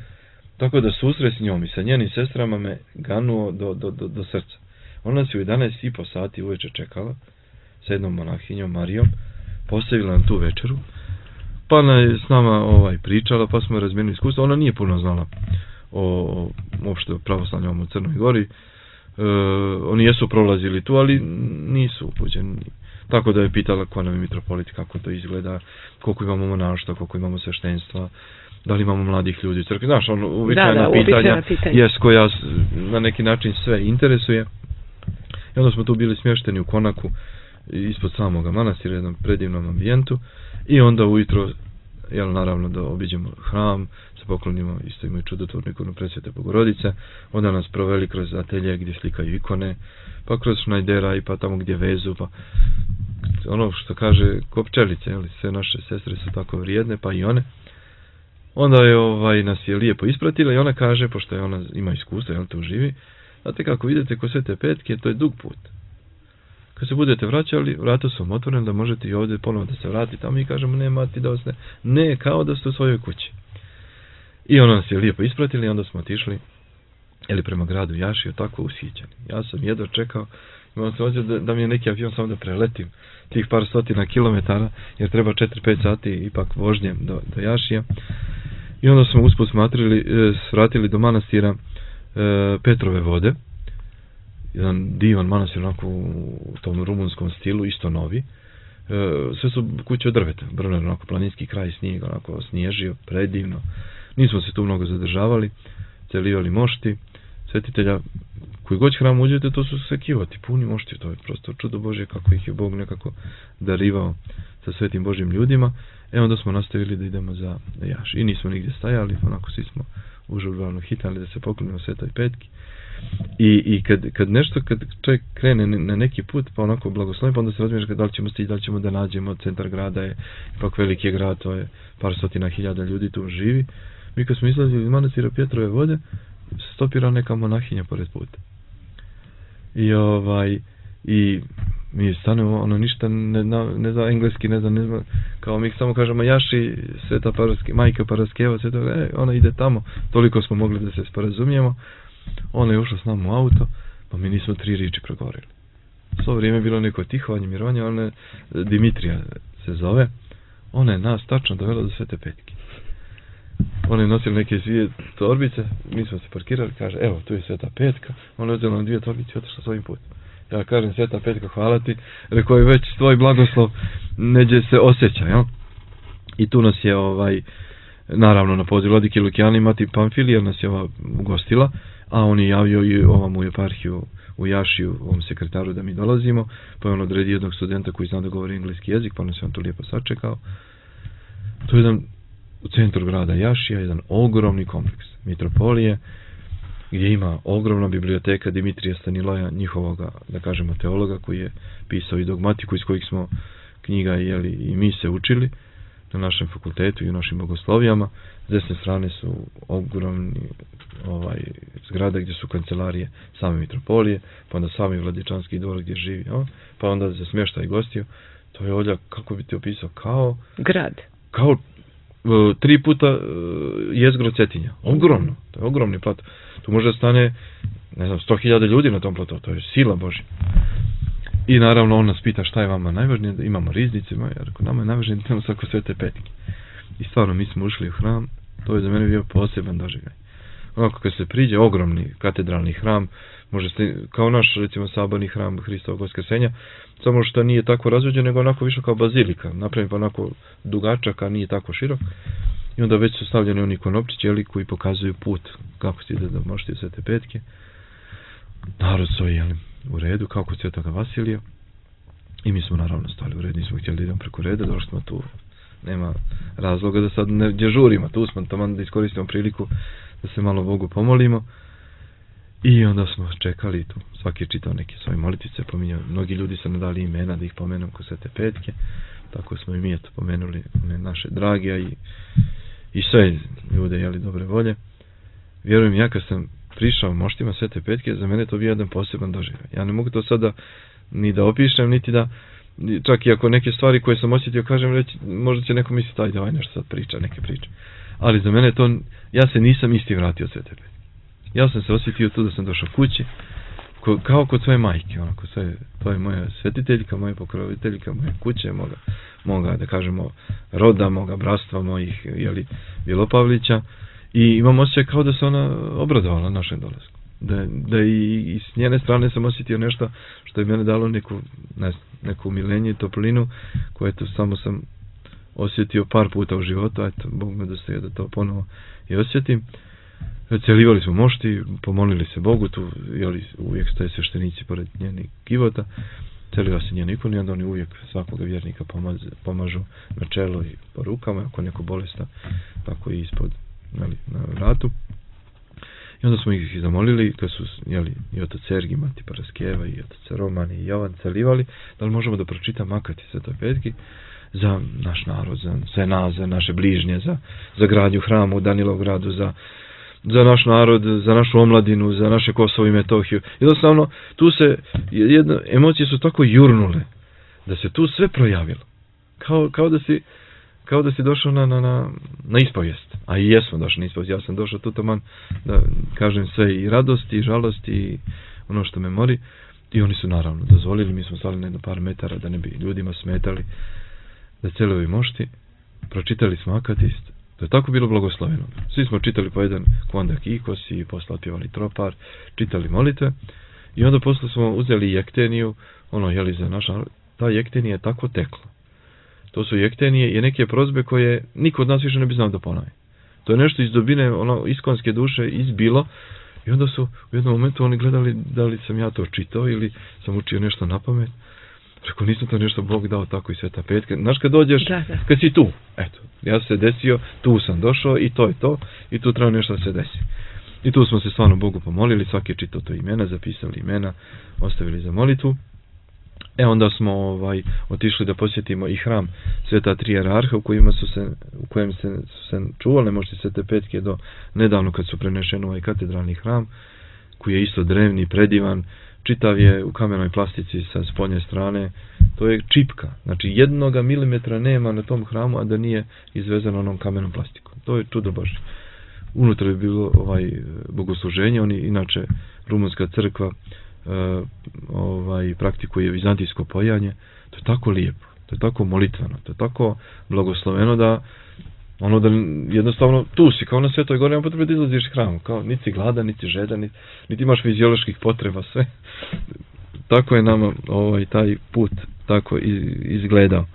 Tako da susret s njom i sa njenim sestrama me ganuo do srca. Ona se u 11,5 sati uveče čekala sa jednom monahinjom Marijom, postavila nam tu večeru, pa je s nama pričala, pa smo razmijenili iskustva. Ona nije puno znala o uopšte pravoslavnom u Crnoj Gori. Oni jesu prolazili tu, ali nisu upućeni. Tako da je pitala ko nam je mitropolit, kako to izgleda, koliko imamo monaštva, koliko imamo sveštenstva, da li imamo mladih ljudi u crkvi. Znaš, uobičajena pitanja koja na neki način sve interesuje. I onda smo tu bili smješteni u konaku ispod samoga manastira, jednom predivnom ambijentu, i onda ujutro, naravno da obiđemo hram, se poklonimo isto imaju čudotvornu ikonu Presvete Bogorodice, onda nas proveli kroz atelje gdje slikaju ikone, pa kroz šnajdera i pa tamo gdje vezu, pa ono što kaže ko pčelice, jeli, sve naše sestre su tako vrijedne, pa i one. Onda je nas je lijepo ispratila i ona kaže, pošto je ona ima iskustvo, jel, tu živi, znate kako vidite ko Svete Petke, to je dug put. Kad se budete vraćali, vrata su vam otvorene da možete i ovdje ponovo da se vratite, a mi kažemo nema ti da osne, ne, kao da ste u svojoj kući. I ona nas je lijepo ispratila i onda smo otišli prema gradu Jašiju, tako ushićeni. Ja sam jedva čekao, imam se osjećao da mi je neki avion samo da preletim tih par stotina kilometara, jer treba 4-5 sati ipak vožnje do Jašija. I onda smo usput svratili do manastira Petrove vode, jedan divan manastir onako u tom rumunskom stilu, isto novi. Sve su kuće od drveta, Brner, onako planinski kraj, snijeg, onako snježio, predivno. Nismo se tu mnogo zadržavali, celivali mošti, svetitelja, koji god hram uđete, to su sve kivoti, puni mošti, to je prosto čudo Božje kako ih je Bog nekako darivao sa svetim Božjim ljudima. Onda smo nastavili da idemo za Jaš. I nismo nigdje stajali, onako svi smo užurbano hitali da se poklonimo Svetoj Petki. I kad čovjek krene na neki put, pa onako blagoslovi, pa onda se razmišlja da li ćemo stići, da li ćemo da nađemo, centar grada je, ipak veliki je grad, to je par stotina hiljada ljudi tu živi. Mi kad smo izlazili iz manastira Petrove vode, stopira neka monahinja pored puta. I mi stanemo, ono ništa ne zna engleski, ne zna, kao mi samo kažemo Jaši, Sveta Majka Paraskeva, ona ide tamo, toliko smo mogli da se sporazumijemo. Ona je ušla s nama u auto, pa mi nismo 3 riječi progovorili. Svo vrijeme je bilo neko tihovanje, mirovanje, ona je Dimitrija se zove, ona je nas tačno dovela do Svete Petke. Ona je nosila neke 2 torbice, mi smo se parkirali, kaže, evo, tu je Sveta Petka, ona je uzela nam 2 torbice i otišla svojim putem. Ja kažem, Sveta Petka, hvala ti, rekao je već tvoj blagoslov neđe se osjeća, jel? I tu nas je, naravno, na poziv vladike Lukijana Mati Pamfilija nas je ugostila, a on je javio i ovom u eparhiju u Jašiju, ovom sekretaru da mi dolazimo, pa je on odredio jednog studenta koji zna da govori engleski jezik, pa nas je on tu lijepo sačekao. To je jedan u centru grada Jašija, jedan ogromni kompleks mitropolije, gdje ima ogromna biblioteka Dimitrija Staniloja, njihovoga, da kažemo, teologa, koji je pisao i dogmatiku iz kojih smo knjiga i mi se učili na našem fakultetu i u našim bogoslovijama. S desne strane su ogromni zgrade gdje su kancelarije same mitropolije, pa onda sami Vladičanski dvor gdje živi, pa onda za smještaj gostiju. To je ovdje, kako bi ti opisao, kao grad. Kao 3 puta jezgro Cetinja. Ogromno. To je ogromni plato. Tu može da stane, ne znam, 100.000 ljudi na tom platu. To je sila Božja. I naravno on nas pita šta je vama najvažnije, da imamo riznice, ja rekao, nama je najvažnije da imamo svako Svete Petke. I stvarno, mi smo ušli u hram, to je za mene bio poseban doživljaj. Onako kad se priđe, ogromni katedralni hram, može se, kao naš, recimo, saborni hram Hristovog Vaskrsenja, samo što nije tako razvođen, nego onako više kao bazilika, napravim pa onako dugačak, a nije tako širok. I onda već su stavljeni oni konopčići, koji pokazuju put, kako se ide da možete Svete Petke. Narod stoji, u redu, kao kod Svetoga Vasilija. I mi smo naravno stali u redu, nismo htjeli da idemo preko reda, došli smo tu, nema razloga da sad ne dežurimo, tu smo tamo da iskoristimo priliku da se malo Bogu pomolimo. I onda smo čekali tu, svaki je čitao neke svoje molitice, pominjao, mnogi ljudi su nam dali imena da ih pomenem kod Svete Petke, tako smo i mi eto pomenuli one naše drage i sve ljude, dobre volje. Vjerujem, ja kad sam prišao moštima Svete Petke, za mene to bio jedan poseban doživljaj. Ja ne mogu to sada ni da opišem, niti da, čak i ako neke stvari koje sam osjetio, kažem, reći, možda će neko misliti, ajde, ovaj nešto sad priča, neke priče. Ali za mene to, ja se nisam isti vratio od Svete Petke. Ja sam se osjetio tu da sam došao kući, kao kod svoje majke, onako, to je moja svetiteljka, moja pokroviteljka, moje kuće, moga, da kažemo, roda, moga bratstva, mojih, Bjelopavlića. I imam osjećaj kao da se ona obradovala našem dolasku. Da i s njene strane sam osjetio nešto što je mene dalo neku umilenje i toplinu, koje to samo sam osjetio par puta u životu, eto, Bog me dostoji da to ponovo i osjetim. Celivali smo mošti, pomolili se Bogu, tu uvijek stoje sveštenici pored njenih kivota, celiva se njen ikon i onda oni uvijek svakoga vjernika pomažu na čelo i po rukama, ako neko bolesta, tako i ispod, na vratu. I onda smo ih zamolili, to su i otac Sergij, mati Paraskeva, i otac Roman i Jovan Celivali, da li možemo da pročitamo akati Svetoj Petki za naš narod, za sve nas, za naše bližnje, za gradnju hrama u Danilovgradu, za naš narod, za našu omladinu, za naše Kosovo i Metohiju. Jednostavno, tu se, emocije su tako jurnule, da se tu sve projavilo. Kao da si došao na ispovijest. A i jesmo došli na ispovijest. Ja sam došao tu taman da kažem sve i radosti, i žalosti, i ono što me mori. I oni su naravno dozvolili, mi smo stali na jedno par metara da ne bi ljudima smetali, da celovi mošti, pročitali smo akatist. To je tako bilo blagosloveno. Svi smo čitali po jedan kvandak ikos i posle otpjevali tropar, čitali molitve i onda posle smo uzeli jekteniju, za naš narod. Ta jektenija je tako tekla. To su jektenije i neke prozbe koje niko od nas više ne bi znao da ponovi. To je nešto iz dubine, iskonske duše izbilo i onda su u jednom momentu oni gledali da li sam ja to čitao ili sam učio nešto na pamet. Rekao, nisam to nešto Bog dao tako i Sveta Petka. Znaš, kad dođeš, kad si tu, eto, ja se desio, tu sam došao i to je to, i tu treba nešto da se desi. I tu smo se stvarno Bogu pomolili, svaki je čitao to imena, zapisali imena, ostavili za molitvu. Onda smo otišli da posjetimo i hram Sveta Tri Jerarha u kojem su se čuvale mošti Svete Petke do nedavno kad su prenešeni u ovaj katedralni hram, koji je isto drevni, predivan, čitav je u kamenoj plastici sa spoljne strane. To je čipka, znači 1 milimetra nema na tom hramu, a da nije izvezano onom kamenom plastikom. To je čudo Božje. Unutra je bilo bogosluženje, oni inače rumunska crkva praktikuje vizantijsko pojanje. To je tako lijepo, to je tako molitveno, to je tako blagosloveno da jednostavno tu si kao na Svetoj Gori, nema potrebe da izlaziš iz hramu, kao niti si gladan, niti žedan, niti imaš fizioloških potreba, sve. Tako je nama taj put tako izgledao.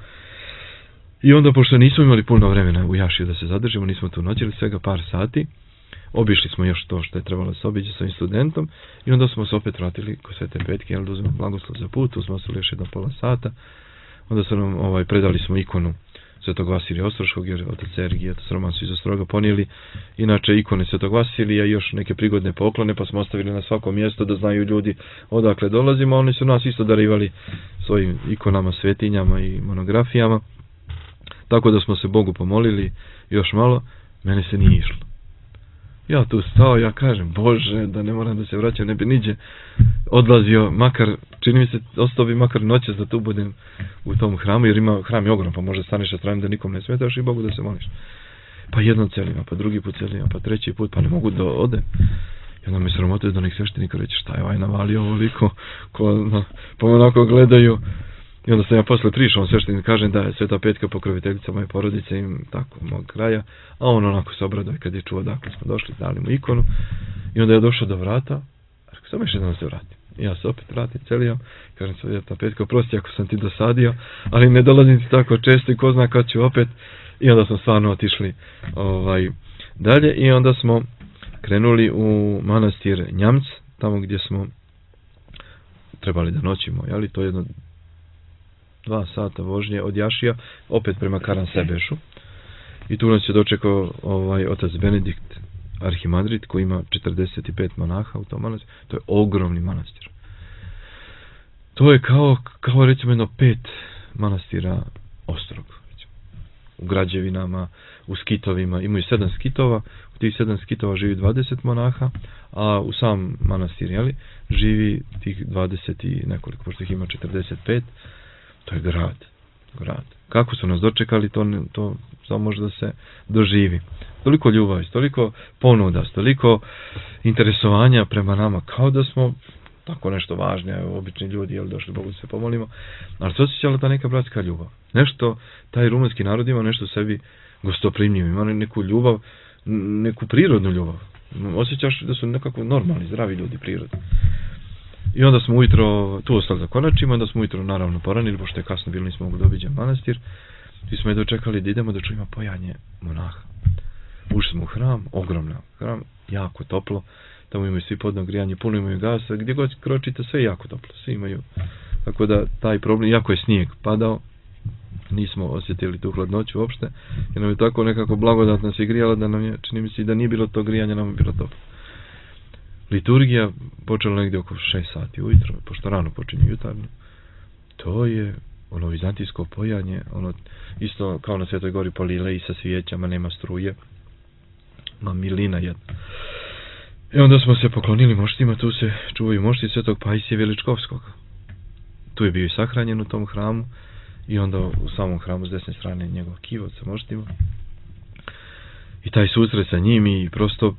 I onda, pošto nismo imali puno vremena u Jašiju da se zadržimo, nismo tu noćili, svega par sati, obišli smo još to što je trebalo da se obiđe sa ovim studentom i onda smo se opet vratili kod Svete Petke, da uzmemo blagoslov za put, tu smo ostali još 1,5 sata, onda su nam predali smo ikonu Svetog Vasilija Ostroškog, jer otac Sergij i otac Roman su iz Ostroga ponijeli inače ikone Svetog Vasilija i još neke prigodne poklone, pa smo ostavili na svako mjesto da znaju ljudi odakle dolazimo. Oni su nas isto darivali svojim ikonama, svetinjama i monografijama, tako da smo se Bogu pomolili još malo. Mene se nije išlo. Ja tu stao, ja kažem, Bože, da ne moram da se vraćam, ne bi niđe odlazio, makar, čini mi se, ostao bi makar noćas da tu budem u tom hramu, jer hram je ogrom, pa možda staneš sa strane da nikom ne smetaš i Bogu da se moliš. Pa jednom celima, pa drugi put celima, pa treći put, pa ne mogu da odem. I onda me sramotuje da nek sveštenika reći, šta je navalio ovoliko, pa me onako gledaju. I onda sam ja posle prišao, sveštenik kažem da je Sveta Petka pokroviteljica moje porodice i tako mog kraja, a on onako se obraduje kad je čuo dakle smo došli, dali mu ikonu. I onda je došao do vrata, rekao, samo još jednom se vratim. I ja se opet vratim celijom, kažem Sveta Petka, prosti ako sam ti dosadio, ali ne dolazim ti tako često i ko zna kad ću opet. I onda smo stvarno otišli dalje i onda smo krenuli u manastir Njamc, tamo gdje smo trebali da noćimo, jeli, to je jedno 2 sata vožnje od Jašija, opet prema Karansebešu. I tu nas je dočekao otac Benedikt Arhimandrit, koji ima 45 monaha u tom manastiru. To je ogromni manastir. To je kao recimo jedno 5 manastira Ostrog. U građevinama, u skitovima. Imaju 7 skitova. U tih 7 skitova živi 20 monaha, a u sam manastir, jeli, živi tih 20 i nekoliko, pošto ih ima 45. To je grad. Kako su nas dočekali, to samo može da se doživi. Toliko ljubavi, toliko ponuda, toliko interesovanja prema nama, kao da smo tako nešto važno, obični ljudi, jel, došli Bogu da se pomolimo, ali se osjećala ta neka bratska ljubav. Nešto, taj rumunski narod ima nešto u sebi gostoprimljivo, ima neku ljubav, neku prirodnu ljubav. Osjećaš da su nekako normalni, zdravi ljudi, prirodni. I onda smo ujutro tu ostali da konačimo, onda smo ujutro naravno poranili, pošto je kasno bilo, nismo mogli da obiđemo manastir. I smo je dočekali da idemo da čujemo pojanje monaha. Ušli smo u hram, ogromno hram, jako toplo, tamo imaju svi podno grijanje, puno imaju gasa, gdje god kročite sve je jako toplo, svi imaju. Tako da taj problem, jako je snijeg padao, nismo osjetili tu hladnoću uopšte, jer nam je tako nekako blagodat nas je grijala da nam je, čini mi se da nije bilo to grijanje, nam je bilo toplo. liturgija počela negdje oko 6 sati ujutro, pošto rano počinje jutarnju. To je ono vizantijsko pojanje, ono isto kao na Svetoj gori polile i sa svijećama, nema struje, ma milina jedna. I onda smo se poklonili moštima, tu se čuvaju mošti Svetog Pajsija Veličkovskog. Tu je bio i sahranjen u tom hramu i onda u samom hramu s desne strane njegov kivot sa moštima. I taj susret sa njim i prosto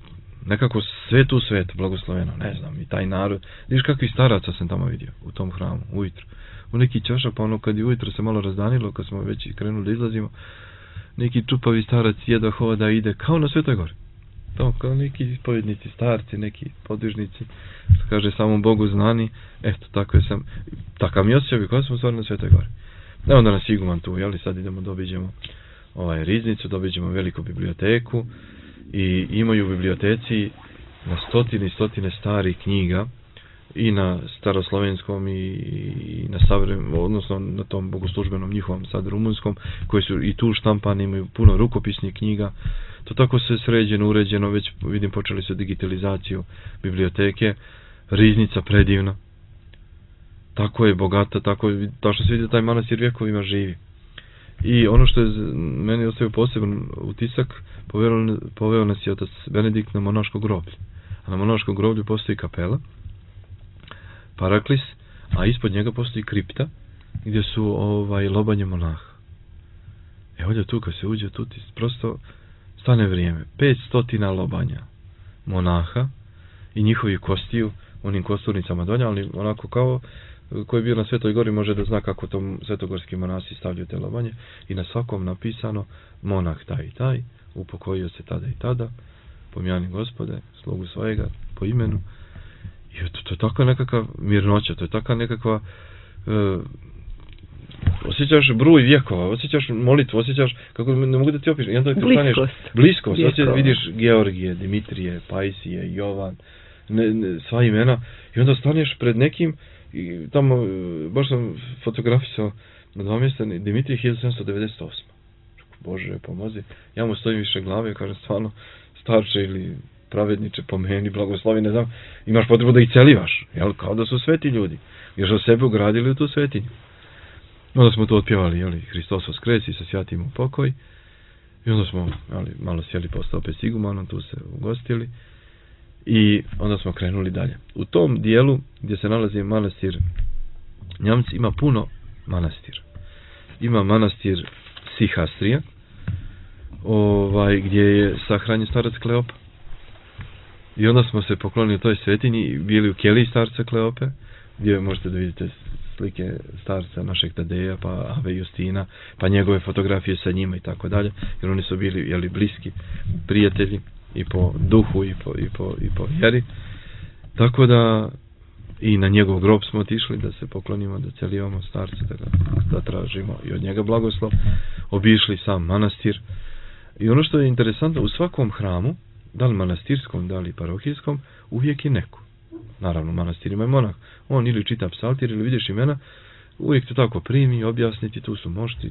nekako sve tu svet blagosloveno, ne znam, i taj narod. Vidiš kakvi staraca sam tamo vidio u tom hramu, ujutro. U neki čošak, pa ono kad je ujutro se malo razdanilo, kad smo već krenuli da izlazimo, neki čupavi starac jedva hoda ide kao na Svetoj gori. To kao neki povjednici, starci, neki podvižnici, što kaže samom Bogu znani, eto, tako je sam, takav mi osjećaj kada smo stvarno na Svetoj gori. Evo onda nas iguman tu, jeli, sad idemo, dobiđemo riznicu, dobiđemo veliku biblioteku i imaju u biblioteci na stotine i stotine starih knjiga i na staroslovenskom i na savremenom, odnosno na tom bogoslužbenom njihovom sad rumunskom, koji su i tu štampani, imaju puno rukopisnih knjiga. To tako se sređeno, uređeno, već vidim počeli su digitalizaciju biblioteke, riznica predivna, tako je bogata, tako što se vidi da taj manastir vjekovima živi. I ono što je meni ostavio poseban utisak, poveo nas je otac Benedikt na monaško groblje. A na monaškom groblju postoji kapela, Paraklis, a ispod njega postoji kripta gdje su lobanje monaha. Ovdje tu kad se uđe, tu ti prosto stane vrijeme. 500 lobanja monaha i njihovi kostiju, onim kosturnicama dolje, ali onako kao koji je bio na Svetoj gori može da zna kako to svetogorski monasi stavljaju te lobanje i na svakom napisano monah taj i taj, upokojio se tada i tada, pomjani Gospode, slugu svojega, po imenu. I to je takva nekakva mirnoća, to je takva nekakva osjećaš bruj vjekova, osjećaš molitvu, osjećaš, kako ne mogu da ti opišem, jedan to staneš, bliskost, vidiš Georgije, Dimitrije, Pajsije, Jovan, sva imena, i onda staneš pred nekim, i tamo, baš sam fotografisao na 2 mjesta, Dimitrije 1798. Bože, pomozi, ja mu stojim više glave, kažem stvarno, starče ili pravedniče, po meni, blagoslovi, ne znam, imaš potrebu da ih celivaš, jel, kao da su sveti ljudi, jer su sebe ugradili u tu svetinju. Onda smo to otpjevali, jeli, Hristos vaskresi, sa sjatim u pokoj, i onda smo, jeli, malo sjeli postao opet s igumanom, tu se ugostili, i onda smo krenuli dalje. U tom dijelu, gdje se nalazi manastir Njamci, ima puno manastira. Ima manastir Sihastrija, gdje je sahranjen starac Kleopa. I onda smo se poklonili toj svetinji i bili u keliji starca Kleope, gdje možete da vidite slike starca našeg Tadeja, pa Ave Justina, pa njegove fotografije sa njima i tako dalje, jer oni su bili, jeli, bliski prijatelji i po duhu i po vjeri. Tako da i na njegov grob smo otišli da se poklonimo, da celivamo starca, da tražimo i od njega blagoslov. Obišli sam manastir. I ono što je interesantno, u svakom hramu, da li manastirskom, da li parohijskom, uvijek je neko. Naravno, manastir ima monah. On ili čita psaltir ili vidiš imena, uvijek te tako primi, objasniti, tu su mošti,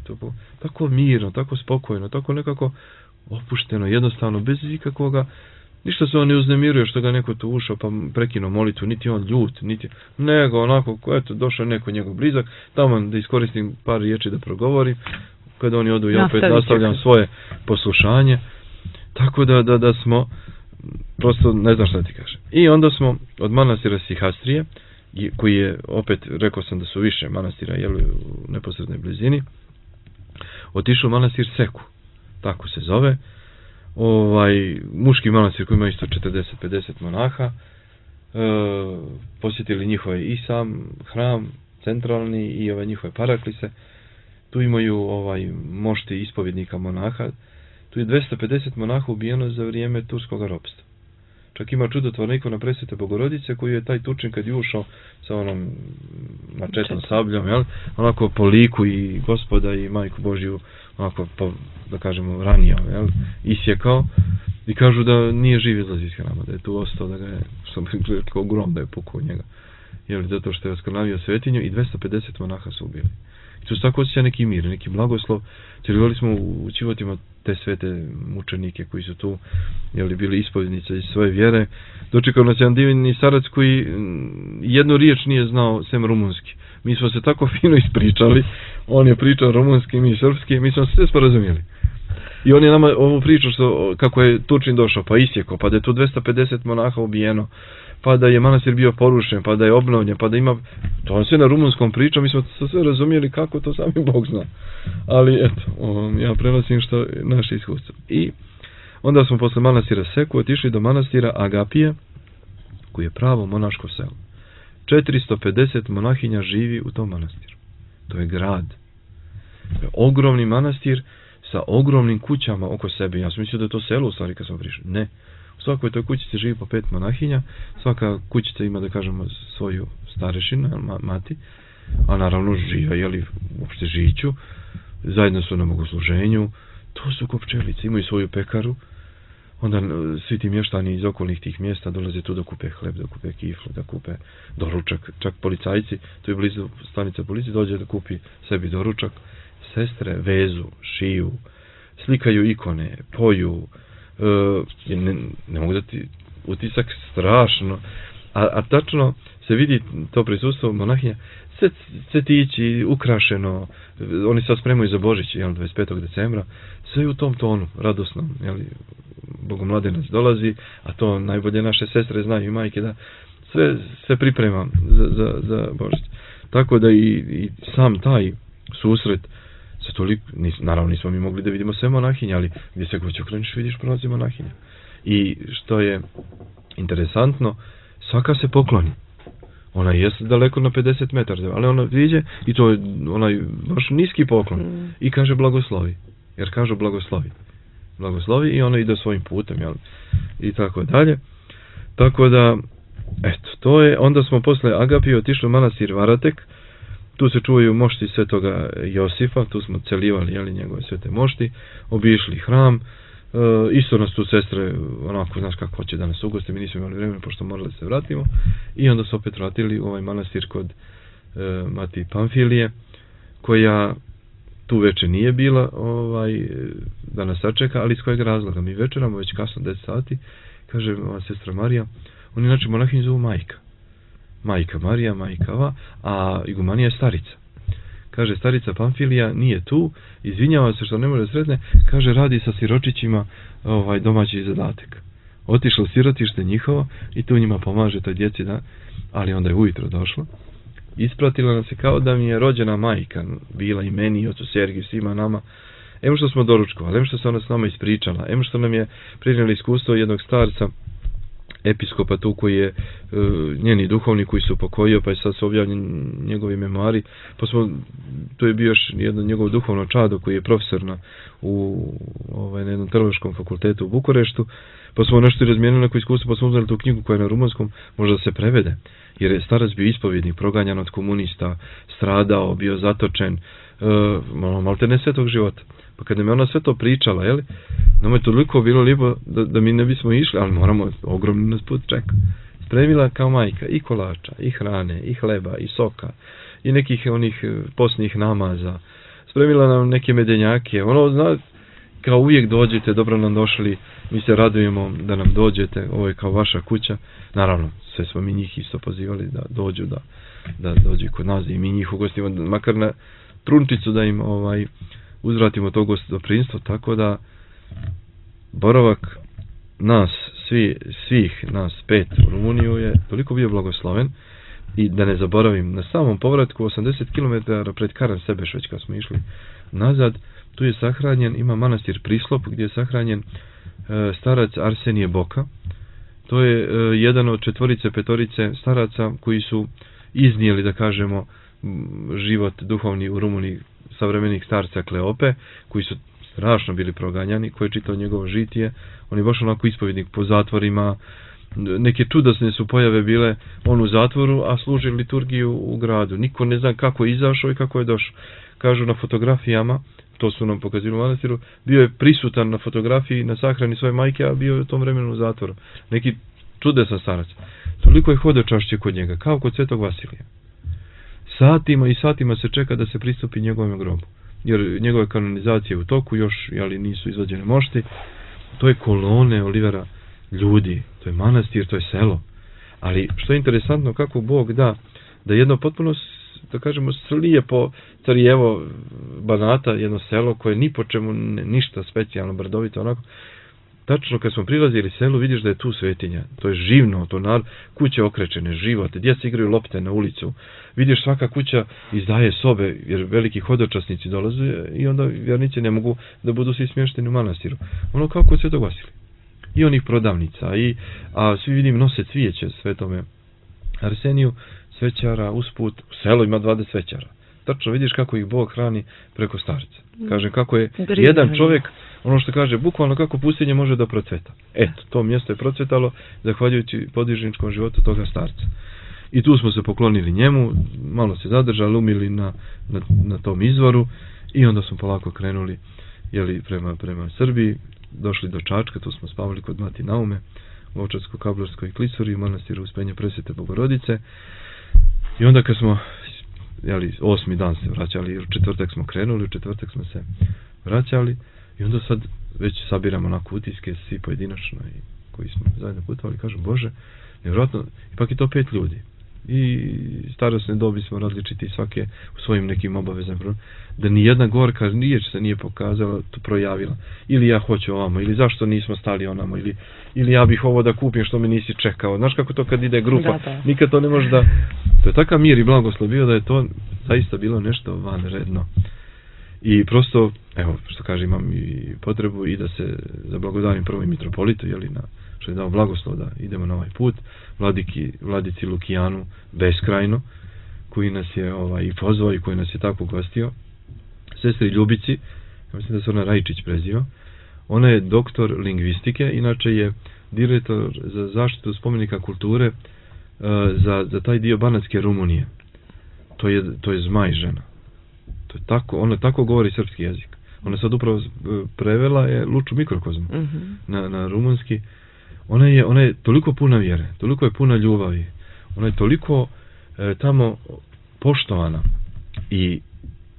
tako mirno, tako spokojno, tako nekako opušteno, jednostavno, bez ikakvoga, ništa se on ne uznemiruje što ga neko tu ušao pa prekinuo molitvu, niti on ljut, nego onako, eto, došao neko njegov blizak, tamo da iskoristim par riječi da progovorim, kada oni odu, ja opet nastavljam svoje poslušanje, tako da smo, prosto ne znam šta ti kažem. I onda smo od manastira Sihastrije, koji je, opet, rekao sam da su više manastira, jel, u neposrednoj blizini, otišao u manastir Seku, tako se zove, muški manastir koji ima isto 40-50 monaha, posjetili njihove i sam hram centralni i njihove paraklise, tu imaju mošti ispovjednika monaha, tu je 250 monaha ubijeno za vrijeme turskog ropstva. Čak ima čudotvorna ikona Presvete Bogorodice koji je taj Turčin kad je ušao sa onom mačetom sabljom, jel, onako po liku i Gospoda i Majku Božju, onako da kažemo ranio, jel, isjekao, i kažu da nije živ izlazi iz hrama, da je tu ostao, da ga je, što bi kao grom da je pukao njega, jel, zato što je oskrnavio svetinju, i 250 monaha su ubili. Tu se tako osjeća neki mir, neki blagoslov. Cijelovali smo u životima te svete mučenike koji su tu bili ispovjednice iz svoje vjere. Dočekao nas jedan divni starac koji jednu riječ nije znao sem rumunski. Mi smo se tako fino ispričali, on je pričao rumunski, mi srpski, mi smo se sve sporazumjeli. I on je nama ovu priču kako je Turčin došao, pa isjekao, pa da je tu 250 monaha ubijeno, pa da je manastir bio porušen, pa da je obnovljen, pa da ima... To on sve na rumunskom pričao, mi smo sve razumijeli kako to sami Bog zna. Ali eto, ja prenosim što naše iskustvo. I onda smo posle manastira Seku otišli do manastira Agapije, koji je pravo monaško selo. 450 monahinja živi u tom manastiru. To je grad. To je ogromni manastir sa ogromnim kućama oko sebe. Ja sam mislio da je to selo u stvari kad smo prišli. Ne. U svakoj toj kućici živi po 5 monahinja. Svaka kućica ima, da kažemo, svoju starešinu, mati. A naravno živa, uopšte žiću. Zajedno su na bogosluženju. To su ko pčelice. Imaju svoju pekaru. Onda svi ti mještani iz okolnih tih mjesta dolaze tu da kupe hleb, da kupe kiflu, da kupe doručak. Čak policajci, tu je blizu stanica policije, dođe da kupi sebi doručak. Sestre vezu, šiju, slikaju ikone, poju. Ne mogu da ti utisak strašno. A tačno se vidi to prisustvo monahinja. Cvetići, ukrašeno. Oni se spremaju za Božić, 25. decembra. Sve u tom tonu, radosnom. Bogomladenac dolazi, a to najbolje naše sestre znaju i majke, da sve se priprema za Božić. Tako da i sam taj susret se toliko, naravno nismo mi mogli da vidimo sve monahinje, ali gdje se god okreniš vidiš prolazi monahinja. I što je interesantno, svaka se pokloni. Ona je daleko na 50 metara, ali ona viđe i to je onaj baš niski poklon i kaže blagoslovi. Jer kažu blagoslovi i ona ide svojim putem, i tako dalje. Tako da, eto, to je, onda smo posle Agapije otišli u manastir Varatek, tu se čuvaju mošti svetoga Josifa, tu smo celivali, njegove svete mošti, obišli hram, isto nas tu sestre, onako, znaš kako hoće da nas ugoste, mi nismo imali vremena, pošto morali se vratimo, i onda se opet vratili u ovaj manastir kod Mati Pamfilije, koja tu večer nije bila da nas sačeka, ali iz kojeg razloga? Mi večeramo već kasno 10 sati, kaže sestra Marija, oni znači monahinju zovu majka. Majka Marija, majka Ava, a igumanija je starica. Kaže, starica Pamfilija nije tu, izvinjava se što ne može sretne, kaže, radi sa siročićima domaći zadatak. Otišla u sirotište njihovo i tu njima pomaže toj djeci, ali onda je ujutro došla. Ispratila nas se kao da mi je rođena majka, bila i meni, i ocu Sergiju, svima nama. Em što smo doručkovali, em što se ona s nama ispričala, em što nam je prinijeli iskustvo jednog starca, episkopa tu koji je njeni duhovni koji se upokojio, pa je sad se objavljen njegovi memoari, pa smo, tu je bio još jedno njegovo duhovno čado koji je profesor na jednom teološkom fakultetu u Bukureštu, pa smo nešto razmijenili neko iskustvo, pa smo uzeli tu knjigu koja je na rumunskom, možda se prevede, jer je starac bio ispovjednik, proganjan od komunista, stradao, bio zatočen, malte ne svetog života. Pa kad nam je ona sve to pričala, nama je toliko bilo lijepo da mi ne bismo išli, ali moramo, ogromno nas put čeka. Spremila kao majka i kolača, i hrane, i hleba, i soka, i nekih onih postnih namaza. Spremila nam neke medenjake, kao uvijek dođete, dobro nam došli, mi se radujemo da nam dođete, ovo je kao vaša kuća. Naravno, sve smo mi njih isto pozivali da dođu, da dođu kod nas i mi njih ugostimo, makar na trunčicu da im uzvratimo to gostoprimstvo, tako da boravak nas, svih nas 5 u Rumuniju je toliko bio blagosloven. I da ne zaboravim, na samom povratku 80 km pred Karan Sebeš, već kad smo išli nazad, tu je sahranjen, ima manastir Prislop gdje je sahranjen starac Arsenije Boka. To je jedan od 4-5 staraca koji su iznijeli, da kažemo, život duhovni u Rumuniji savremenih starca Kleope, koji su strašno bili proganjani, koji je čitao njegovo žitije. On je baš onako ispovjednik po zatvorima, neke čudesne su pojave bile, on u zatvoru, a služi liturgiju u gradu. Niko ne zna kako je izašao i kako je došao. Kažu na fotografijama, to su nam pokazili u manastiru, bio je prisutan na fotografiji na sahrani svoje majke, a bio je u tom vremenu u zatvoru. Neki čudesan starac. Toliko je hodočašće kod njega, kao kod Svetog Vasilija. satima i satima se čeka da se pristupi njegovom grobu. Jer njegove kanonizacije u toku još, ali nisu izvađene mošti. To je kolone Olivera ljudi, to je manastir, to je selo. Ali što je interesantno, kako Bog da jedno potpuno, da kažemo, slijepo Carijevo Banata, jedno selo koje ni po čemu ništa specijalno, brdovito, onako. Tačno kad smo prilazili selu, vidiš da je tu svetinja. To je živno, kuće okrečene, život, djeca igraju lopte na ulicu. Vidiš, svaka kuća izdaje sobe, jer veliki hodočasnici dolaze i onda vjernici ne mogu da budu svi smješteni u manastiru. Ono kao kod Svetog Vasilija. I onih prodavnica, a svi vidim nose cvijeće Svetome Arseniju, svećara, usput, u selu ima 20 svećara. Tačno vidiš kako ih Bog hrani preko starca. Kažem, kako je jedan čovjek, ono što kaže, bukvalno kako pustinje može da procveta. Eto, to mjesto je procvetalo zahvaljujući podvižničkom životu toga starca. I tu smo se poklonili njemu, malo se zadržali, umili na tom izvoru i onda smo polako krenuli prema Srbiji, došli do Čačka, tu smo spavali kod Mati Naume, u Ovčarsko-Kablarskoj klisuri, u manastiru Uspenja Presvete Bogorodice. I onda kad smo, 8. dan se vraćali, u četvrtak smo krenuli, u četvrtak smo se vraćali i onda sad već sabiramo na utiske, svi pojedinačno i koji smo zajedno putovali, kažu, Bože, nevjerojatno, ipak je to 5 ljudi. I starosne dobi smo različiti svake u svojim nekim obavezama, da ni jedna gorka riječ se nije pokazala, to projavila. Ili ja hoću ovamo, ili zašto nismo stali onamo, ili ja bih ovo da kupim što me nisi čekao. Znaš kako to kad ide grupa, nikad to ne može da... To je takav mir i blagoslov bio da je to zaista bilo nešto vanredno. I prosto, evo, što kaže, imam i potrebu i da se zablagodarim prvo i mitropolitu, što je dao blagoslov da idemo na ovaj put, vladici Lukijanu beskrajno, koji nas je i pozvao i koji nas je tako gostio, sestri Ljubici, ja mislim da se ona Rajčić preziva, ona je doktor lingvistike, inače je direktor za zaštitu spomenika kulture za taj dio Banatske Rumunije. To je Zmaj žena. To je tako, ona tako govori srpski jezik. Ona sad upravo prevela je Luču mikrokozmu na rumunski. Ona je toliko puna vjere, toliko je puna ljubavi, ona je toliko tamo poštovana i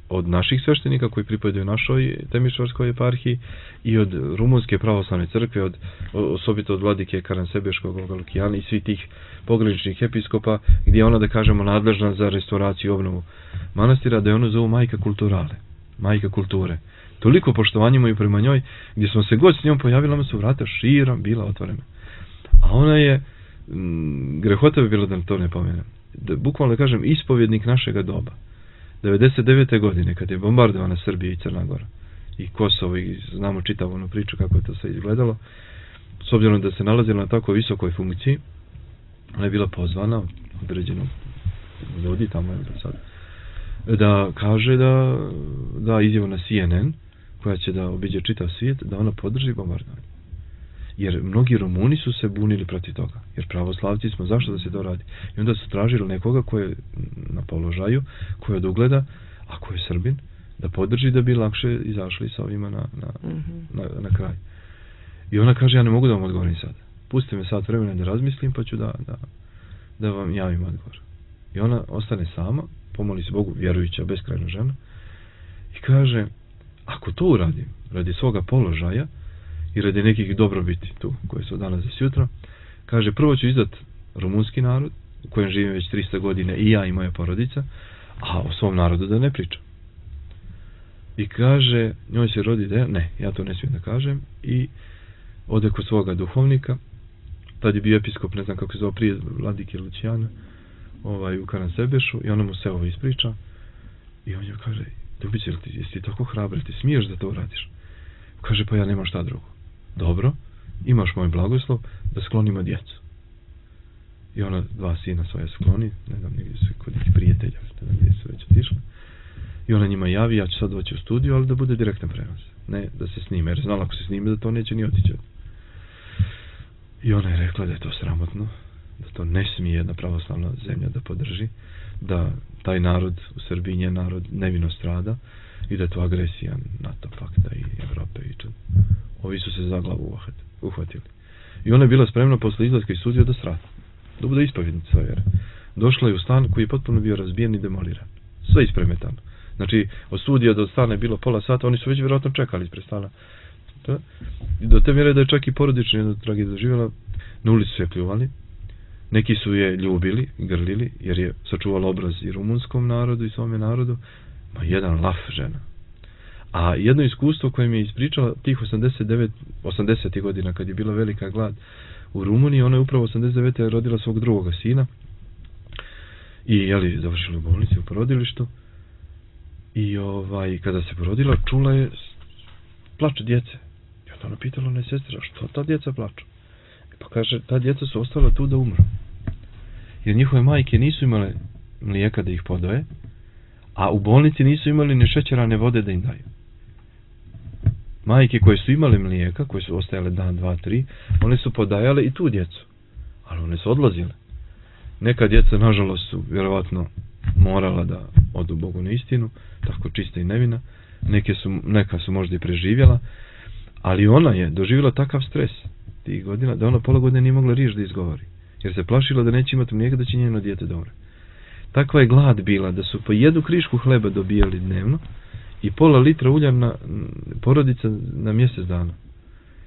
od naših sveštenika koji pripadaju našoj Temišvarskoj eparhiji i od Rumunske pravoslavne crkve, osobito od vladike Karansebeškog Lukijana i svih tih pograničnih episkopa, gdje je ona, da kažemo, nadležna za restauraciju i obnovu manastira, da je ona zovu majka kulturale, majka kulture. Toliko poštovanja imaju prema njoj, gdje smo se god s njom pojavili, nama su vrata širom bila otvorena. A ona je, grehota bi bilo da to ne pomenem, bukvalno da kažem, ispovjednik našega doba. 99. godine, kad je bombardovana Srbija i Crna Gora i Kosovo, i znamo čitavu onu priču kako je to sve izgledalo, s obzirom da se nalazila na tako visokoj funkciji, ona je bila pozvana određenom ljudi tamo sad, da kaže da izjavu na CNN, koja će da obiđe čitav svijet, da ona podrži bombardovanje. Jer mnogi Rumuni su se bunili protiv toga. Jer pravoslavci smo, zašto da se to radi? I onda su tražili nekoga ko je na položaju, ko je od ugleda, a ko je Srbin, da podrži da bi lakše izašli sa ovima na kraj. I ona kaže, ja ne mogu da vam odgovorim sad. Pustite me sat vremena da razmislim, pa ću da vam javim odgovor. I ona ostane sama, pomoli se Bogu, vjerujuća, beskrajna žena, i kaže, ako to uradim radi svoga položaja i radi nekih dobrobiti tu, koje su danas i sutra, kaže, prvo ću izdat rumunski narod, u kojem živim već 300 godine i ja i moja porodica, a o svom narodu da ne pričam. I kaže, njoj se rodi ideja, ne, ja to ne smijem da kažem, i ode kod svoga duhovnika, tad je bio episkop, ne znam kako se zove, prije vladike Lucijana, u Karansebešu, i ona mu se ovo ispriča, i on joj kaže, Ljubice, jesi ti tako hrabra, ti smiješ da to uradiš? Kaže, pa ja nemam šta drugo. Dobro, imaš moj blagoslov da sklonimo djecu. I ona 2 sina svoja skloni, ne znam, negdje su kod nekih prijatelja, ne znam gdje su već otišli. I ona njima javi, ja ću sad doći u studiju, ali da bude direktan prenos. Ne da se snime, jer znala ako se snime da to neće ni otići. I ona je rekla da je to sramotno, da to ne smije jedna pravoslavna zemlja da podrži, da taj narod u Srbiji, njen narod, nevino strada i da je to agresija NATO pakta i Evrope i čud. Ovi su se za glavu uhvatili. I ona je bila spremna posle izlaska iz studija da strada, da bude ispovjednica svoje vjere. došla je u stan koji je potpuno bio razbijen i demoliran. Sve ispremetano. Znači, od studija do stana je bilo pola sata, oni su već vjerojatno čekali ispred stana. I do te mjere da je čak i porodično jednu tragediju doživjela, na ulicu su je pljuvali, neki su je ljubili, grlili, jer je sačuvala obraz i rumunskom narodu i svome narodu, ma jedan laf žena. A jedno iskustvo koje mi je ispričala tih 80. godina kad je bila velika glad u Rumuniji, ona je upravo 89. rodila svog drugoga sina i završila u bolnici u porodilištu i kada se porodila čula je plač djece. I onda ona pitala ona sestra, što ta djeca plaču? Pa kaže, ta djeca su ostala tu da umru. Jer njihove majke nisu imale mlijeka da ih podoje, a u bolnici nisu imali ni šećerane vode da im daju. Majke koje su imale mlijeka, koje su ostajale dan, dva, tri, one su podajale i tu djecu. Ali one su odlazile. Neka djeca, nažalost, su vjerovatno morala da odu Bogu na istinu, tako čista i nevina. Neka su možda i preživjela, ali ona je doživjela takav stres tih godina, da ona pola godine nije mogla riječ da izgovori. Jer se plašila da neće imati mlijeka, da će njeno dijete da umre. Takva je glad bila da su po jednu krišku hleba dobijali dnevno i pola litra ulja na porodica na mjesec dana.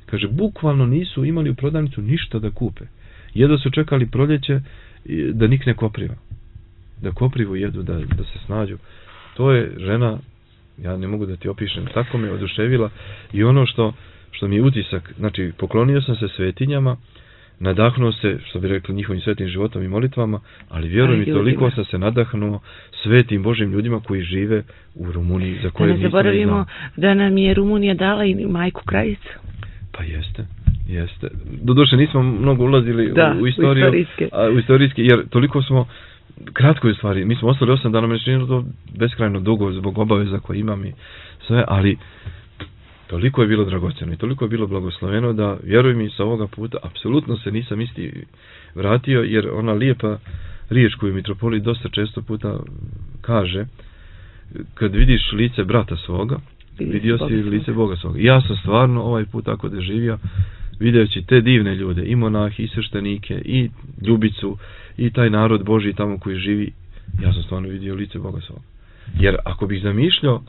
Kaže, bukvalno nisu imali u prodavnicu ništa da kupe. Jedva su čekali proljeće da nikne kopriva. Da koprivu jedu, da se snađu. To je žena, ja ne mogu da ti opišem, tako me oduševila i ono što mi je utisak, znači poklonio sam se svetinjama, nadahnuo se, što bi rekli, njihovim svetim životom i molitvama, ali vjerujem i toliko sam se nadahnuo svetim Božim ljudima koji žive u Rumuniji, za koje nisam znao. Da ne zaboravimo da nam je Rumunija dala i majku Krajicu. Pa jeste. Doduše nismo mnogo ulazili u istoriju, u istorijski, jer toliko smo, kratko je u stvari, mi smo ostali 8 dana, meni je to beskrajno dugo zbog obaveza koje imam i sve, ali toliko je bilo dragocjeno i toliko je bilo blagosloveno da, vjeruj mi, sa ovoga puta apsolutno se nisam isti vratio, jer ona lijepa riječ koju mitropolit dosta često puta kaže, kad vidiš lice brata svoga, vidio si lice Boga svoga. Ja sam stvarno ovaj put tako doživio, videći te divne ljude, i monahi, i sveštenike, i Ljubicu, i taj narod Božji tamo koji živi, ja sam stvarno vidio lice Boga svoga. Jer ako bih zamišljao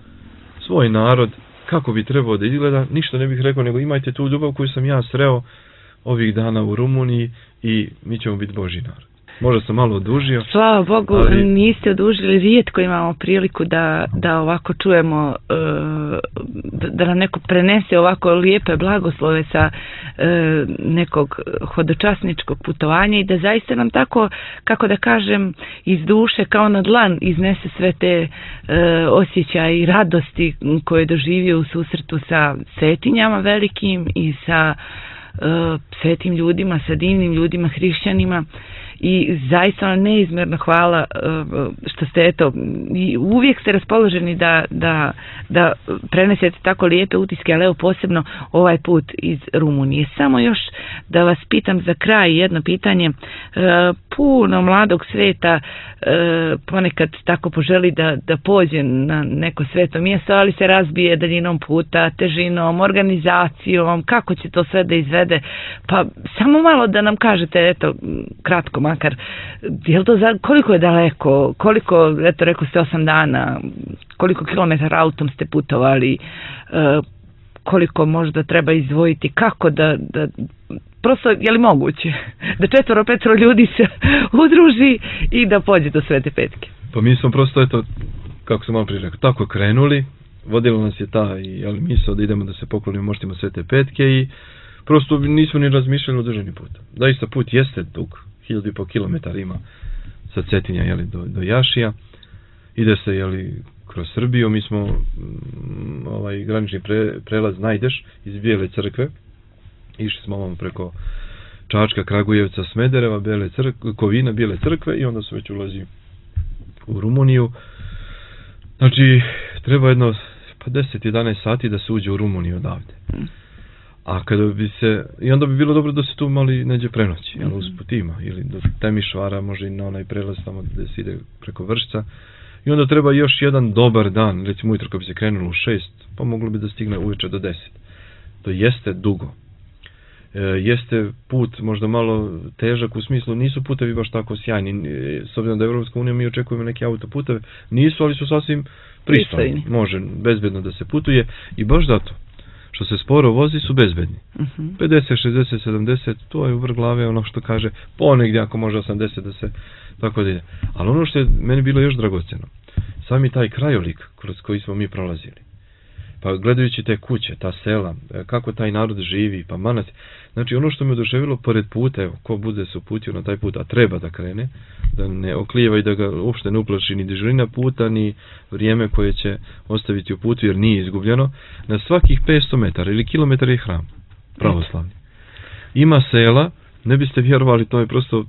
svoj narod, kako bi trebao da izgleda, ništa ne bih rekao, nego imajte tu ljubav koju sam ja sreo ovih dana u Rumuniji i mi ćemo biti Božji narod. Možda sam malo odužio. Slava Bogu, ali niste odužili, rijetko imamo priliku da ovako čujemo, da nam neko prenese ovako lijepe blagoslove sa nekog hodočasničkog putovanja i da zaista nam tako, kako da kažem, iz duše kao na dlan iznese sve te osjećaje i radosti koje je doživio u susretu sa svetinjama velikim i sa svetim ljudima, sa divnim ljudima, hrišćanima. I zaista neizmjerno hvala što ste, eto, uvijek ste raspoloženi da prenesete tako lijepe utiske, ali evo posebno ovaj put iz Rumunije. Samo još da vas pitam za kraj jedno pitanje. Puno mladog sveta ponekad tako poželi da pođe na neko sveto mjesto, ali se razbije daljinom puta, težinom, organizacijom, kako će to sve da izvede. Pa samo malo da nam kažete, eto, kratko makar, koliko je daleko, koliko, eto rekao ste 8 dana, koliko kilometara autom ste putovali, koliko možda treba izdvojiti, kako da prosto, je li moguće da 4-5 ljudi se udruži i da pođe do Svete Petke? Pa mi smo prosto, eto, kako sam malo prije rekao, tako krenuli, vodilo nas je ta misao da idemo da se poklonimo moštima Svete Petke i prosto nismo ni razmišljali o dužini puta. Zaista put jeste dug, 1500 kilometara ima sa Cetinja do Jašija, ide se kroz Srbiju, mi smo granični prelaz najdeš iz Bijele Crkve, išli smo ovamo preko Čačka, Kragujevca, Smedereva, Kovina, Bijele Crkve i onda se već ulazi u Rumuniju. Znači, treba jedno 10-11 sati da se uđe u Rumuniju odavde. A kada bi se, i onda bi bilo dobro da se tu mali neđe prenoći, usput ima, ili do Temišvara, može i na onaj prelaz tamo gde se ide preko Vršca. I onda treba još jedan dobar dan, recimo ujutro kad bi se krenulo u 6, pa moglo bi da stigne uveče do 10. To jeste dugo. Jeste put možda malo težak u smislu, nisu putevi baš tako sjajni, s obzirom da je Evropska unija, mi očekujemo neke autoputeve, nisu, ali su sasvim pristojni, može bezbedno da se putuje i baš zato što se sporo vozi su bezbedni. 50, 60, 70, to je u vrh glave ono što kaže, ponegdje ako može 80 da se tako da ide. Ali ono što je meni bilo još dragoceno, sami taj krajolik kroz koji smo mi prolazili, pa gledajući te kuće, ta sela, kako taj narod živi, pa manastir. Znači ono što me oduševilo pored puta, evo, ko bude se uputio na taj put, a treba da krene, da ne oklijeva i da ga uopšte ne uplaši ni dežurina puta, ni vrijeme koje će ostaviti u putu, jer nije izgubljeno, na svakih 500 metara ili kilometar je hram, pravoslavni. Ima sela, ne biste vjerovali, to je prosto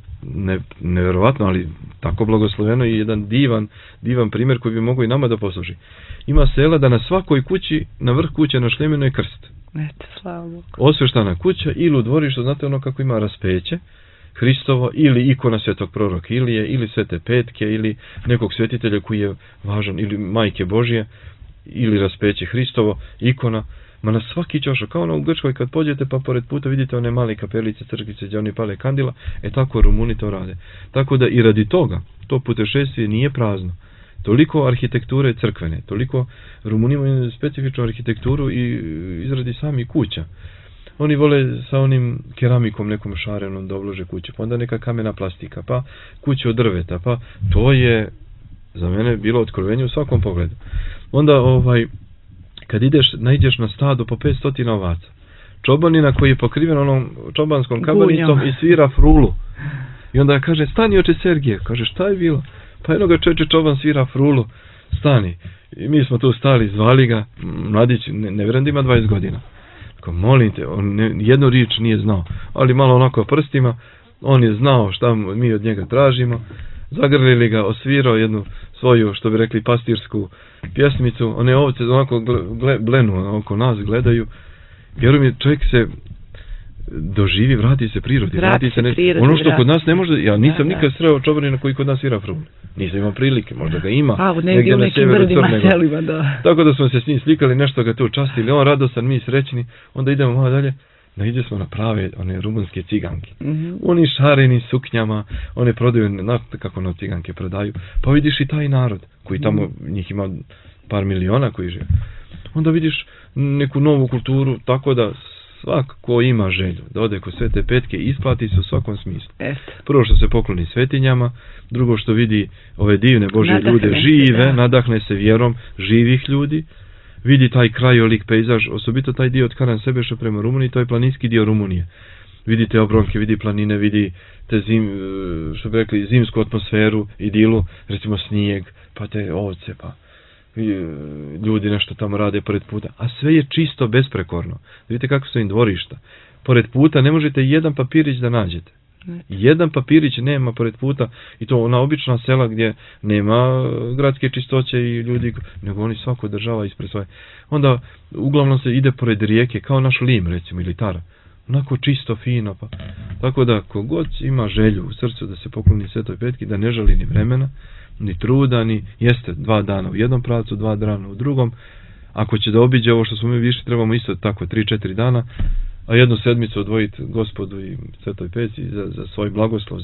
nevjerovatno, ali tako blagosloveno i jedan divan primjer koji bi mogao i nama da posluži. Ima sela da na svakoj kući, na vrh kuće na šljemenu je krst. Eto, slava Bogu. Osvještana kuća ili u dvorištu, znate ono kako ima raspeće Hristovo ili ikona svetog proroka Ilije ili Svete Petke ili nekog svetitelja koji je važan ili Majke Božje ili raspeće Hristovo, ikona. Ma na svaki ćošak, kao ono u Grčkoj kad pođete pa pored puta vidite one male kapelice, crkvice gdje oni pale kandila, tako Rumuni to rade. Tako da i radi toga, to putešestvije nije prazno. Toliko arhitekture crkvene, toliko Rumuni imaju specifičnu arhitekturu i izradi sami kuća. Oni vole sa onim keramikom nekom šarenom da oblože kuće, pa onda neka kamena plastika, pa kuće od drveta, pa to je za mene bilo otkrovenje u svakom pogledu. Onda kad naiđeš na stado po 500 ovaca, čobanina koji je pokriven onom čobanskom kabanicom i svira frulu. I onda kaže, stani oče Sergije. Kaže, šta je bilo? Pa jednoga čovječe čoban svira frulu, stani. I mi smo tu stali, zvali ga, mladić, ne vjerujem da ima 20 godina. Tako, molim te, on jednu riječ nije znao, ali malo onako prstima, on je znao šta mi od njega tražimo. Zagrlili ga, osvirao jednu svoju, što bi rekli, pastirsku pjesmicu. One ovce onako blenu, oko nas gledaju. Vjerujem mi, čovjek se doživi, vrati se prirodi. Ono što kod nas ne može, ja nisam nikad sreo čobanina koji kod nas svira frulu. Nisam imao prilike, možda ga ima. Negdje u nekim brdima selima, da. Tako da smo se s njim slikali, nešto ga tu častili, on radostan, mi srećni, onda idemo malo dalje. Naiđe smo na prave, one rumunske ciganke. Oni šareni suknjama, one prodaju, znate kako ono ciganke prodaju. Pa vidiš i taj narod, koji tamo, njih ima par miliona koji žive. Onda vidiš neku novu kulturu, tako da svak ko ima želju da ode kod Svete Petke, isplati se u svakom smislu. Prvo što se pokloni svetinjama, drugo što vidi ove divne Božje ljude žive, nadahne se vjerom živih ljudi, vidi taj krajolik, pejzaž, osobito taj dio od Karan Sebeša prema Rumuniji, to je planinski dio Rumunije. Vidite obronke, vidi planine, vidi te što bi rekli, zimsku atmosferu, idilu, recimo snijeg, pa te ovce, pa ljudi nešto tamo rade pored puta, a sve je čisto besprekorno. Vidite kako su im dvorišta. Pored puta ne možete jedan papirić da nađete. Jedan papirić nema pored puta, i to ona obična sela gdje nema gradske čistoće i ljudi, nego oni svako država ispred svoje. Onda uglavnom se ide pored rijeke, kao naš Lim recimo ili Tara. Onako čisto, fino. Pa. Tako da kogod ima želju u srcu da se pokloni Svetoj Petki, da ne žali ni vremena, ni truda, ni jeste 2 dana u jednom pravcu, 2 dana u drugom. Ako će da obiđe ovo što smo mi više, trebamo isto tako 3-4 dana, a jednu sedmicu odvojiti Gospodu i Svetoj Petci za svoj blagoslov,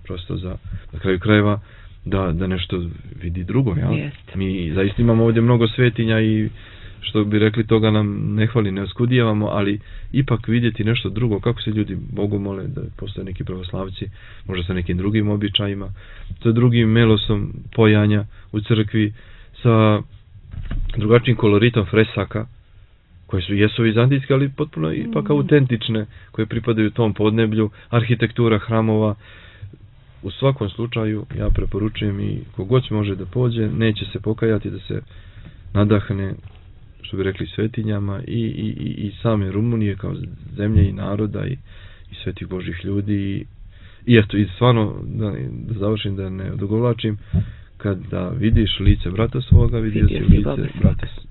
prosto za na kraju krajeva da nešto vidi drugo. Ja? Mi zaista imamo ovdje mnogo svetinja i što bi rekli, toga nam ne hvali, ne oskudijevamo, ali ipak vidjeti nešto drugo, kako se ljudi Bogu mole, da postoje neki pravoslavci, možda sa nekim drugim običajima, sa drugim melosom pojanja u crkvi, sa drugačijim koloritom fresaka, koje jesu vizantijske, ali potpuno ipak autentične, koje pripadaju tom podneblju, arhitektura hramova. U svakom slučaju ja preporučujem i kogod može da pođe, neće se pokajati, da se nadahne, što bi rekli, svetinjama i same Rumunije kao zemlje i naroda i svetih Božih ljudi. I eto, i stvarno, da završim, da ne odugovlačim, kada vidiš lice brata svoga, vidio si lice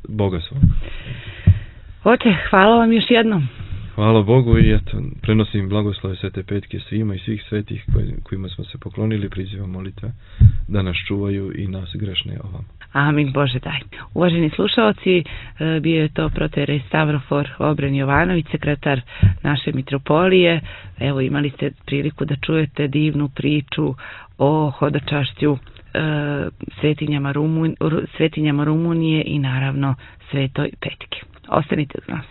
Boga svoga. Oče, hvala vam još jednom. Hvala Bogu i eto, prenosim blagoslove Svete Petke svima i svih svetih kojima smo se poklonili, prizivam molitve da nas čuvaju i nas grešne ovam. Amin, Bože daj. Uvaženi slušalci, bio je to proterej Stavrofor Obren Jovanović, sekretar naše mitropolije. Evo, imali ste priliku da čujete divnu priču o hodočašću svetinjama Rumunije i naravno Svetoj Petki. Ostanite uz nas.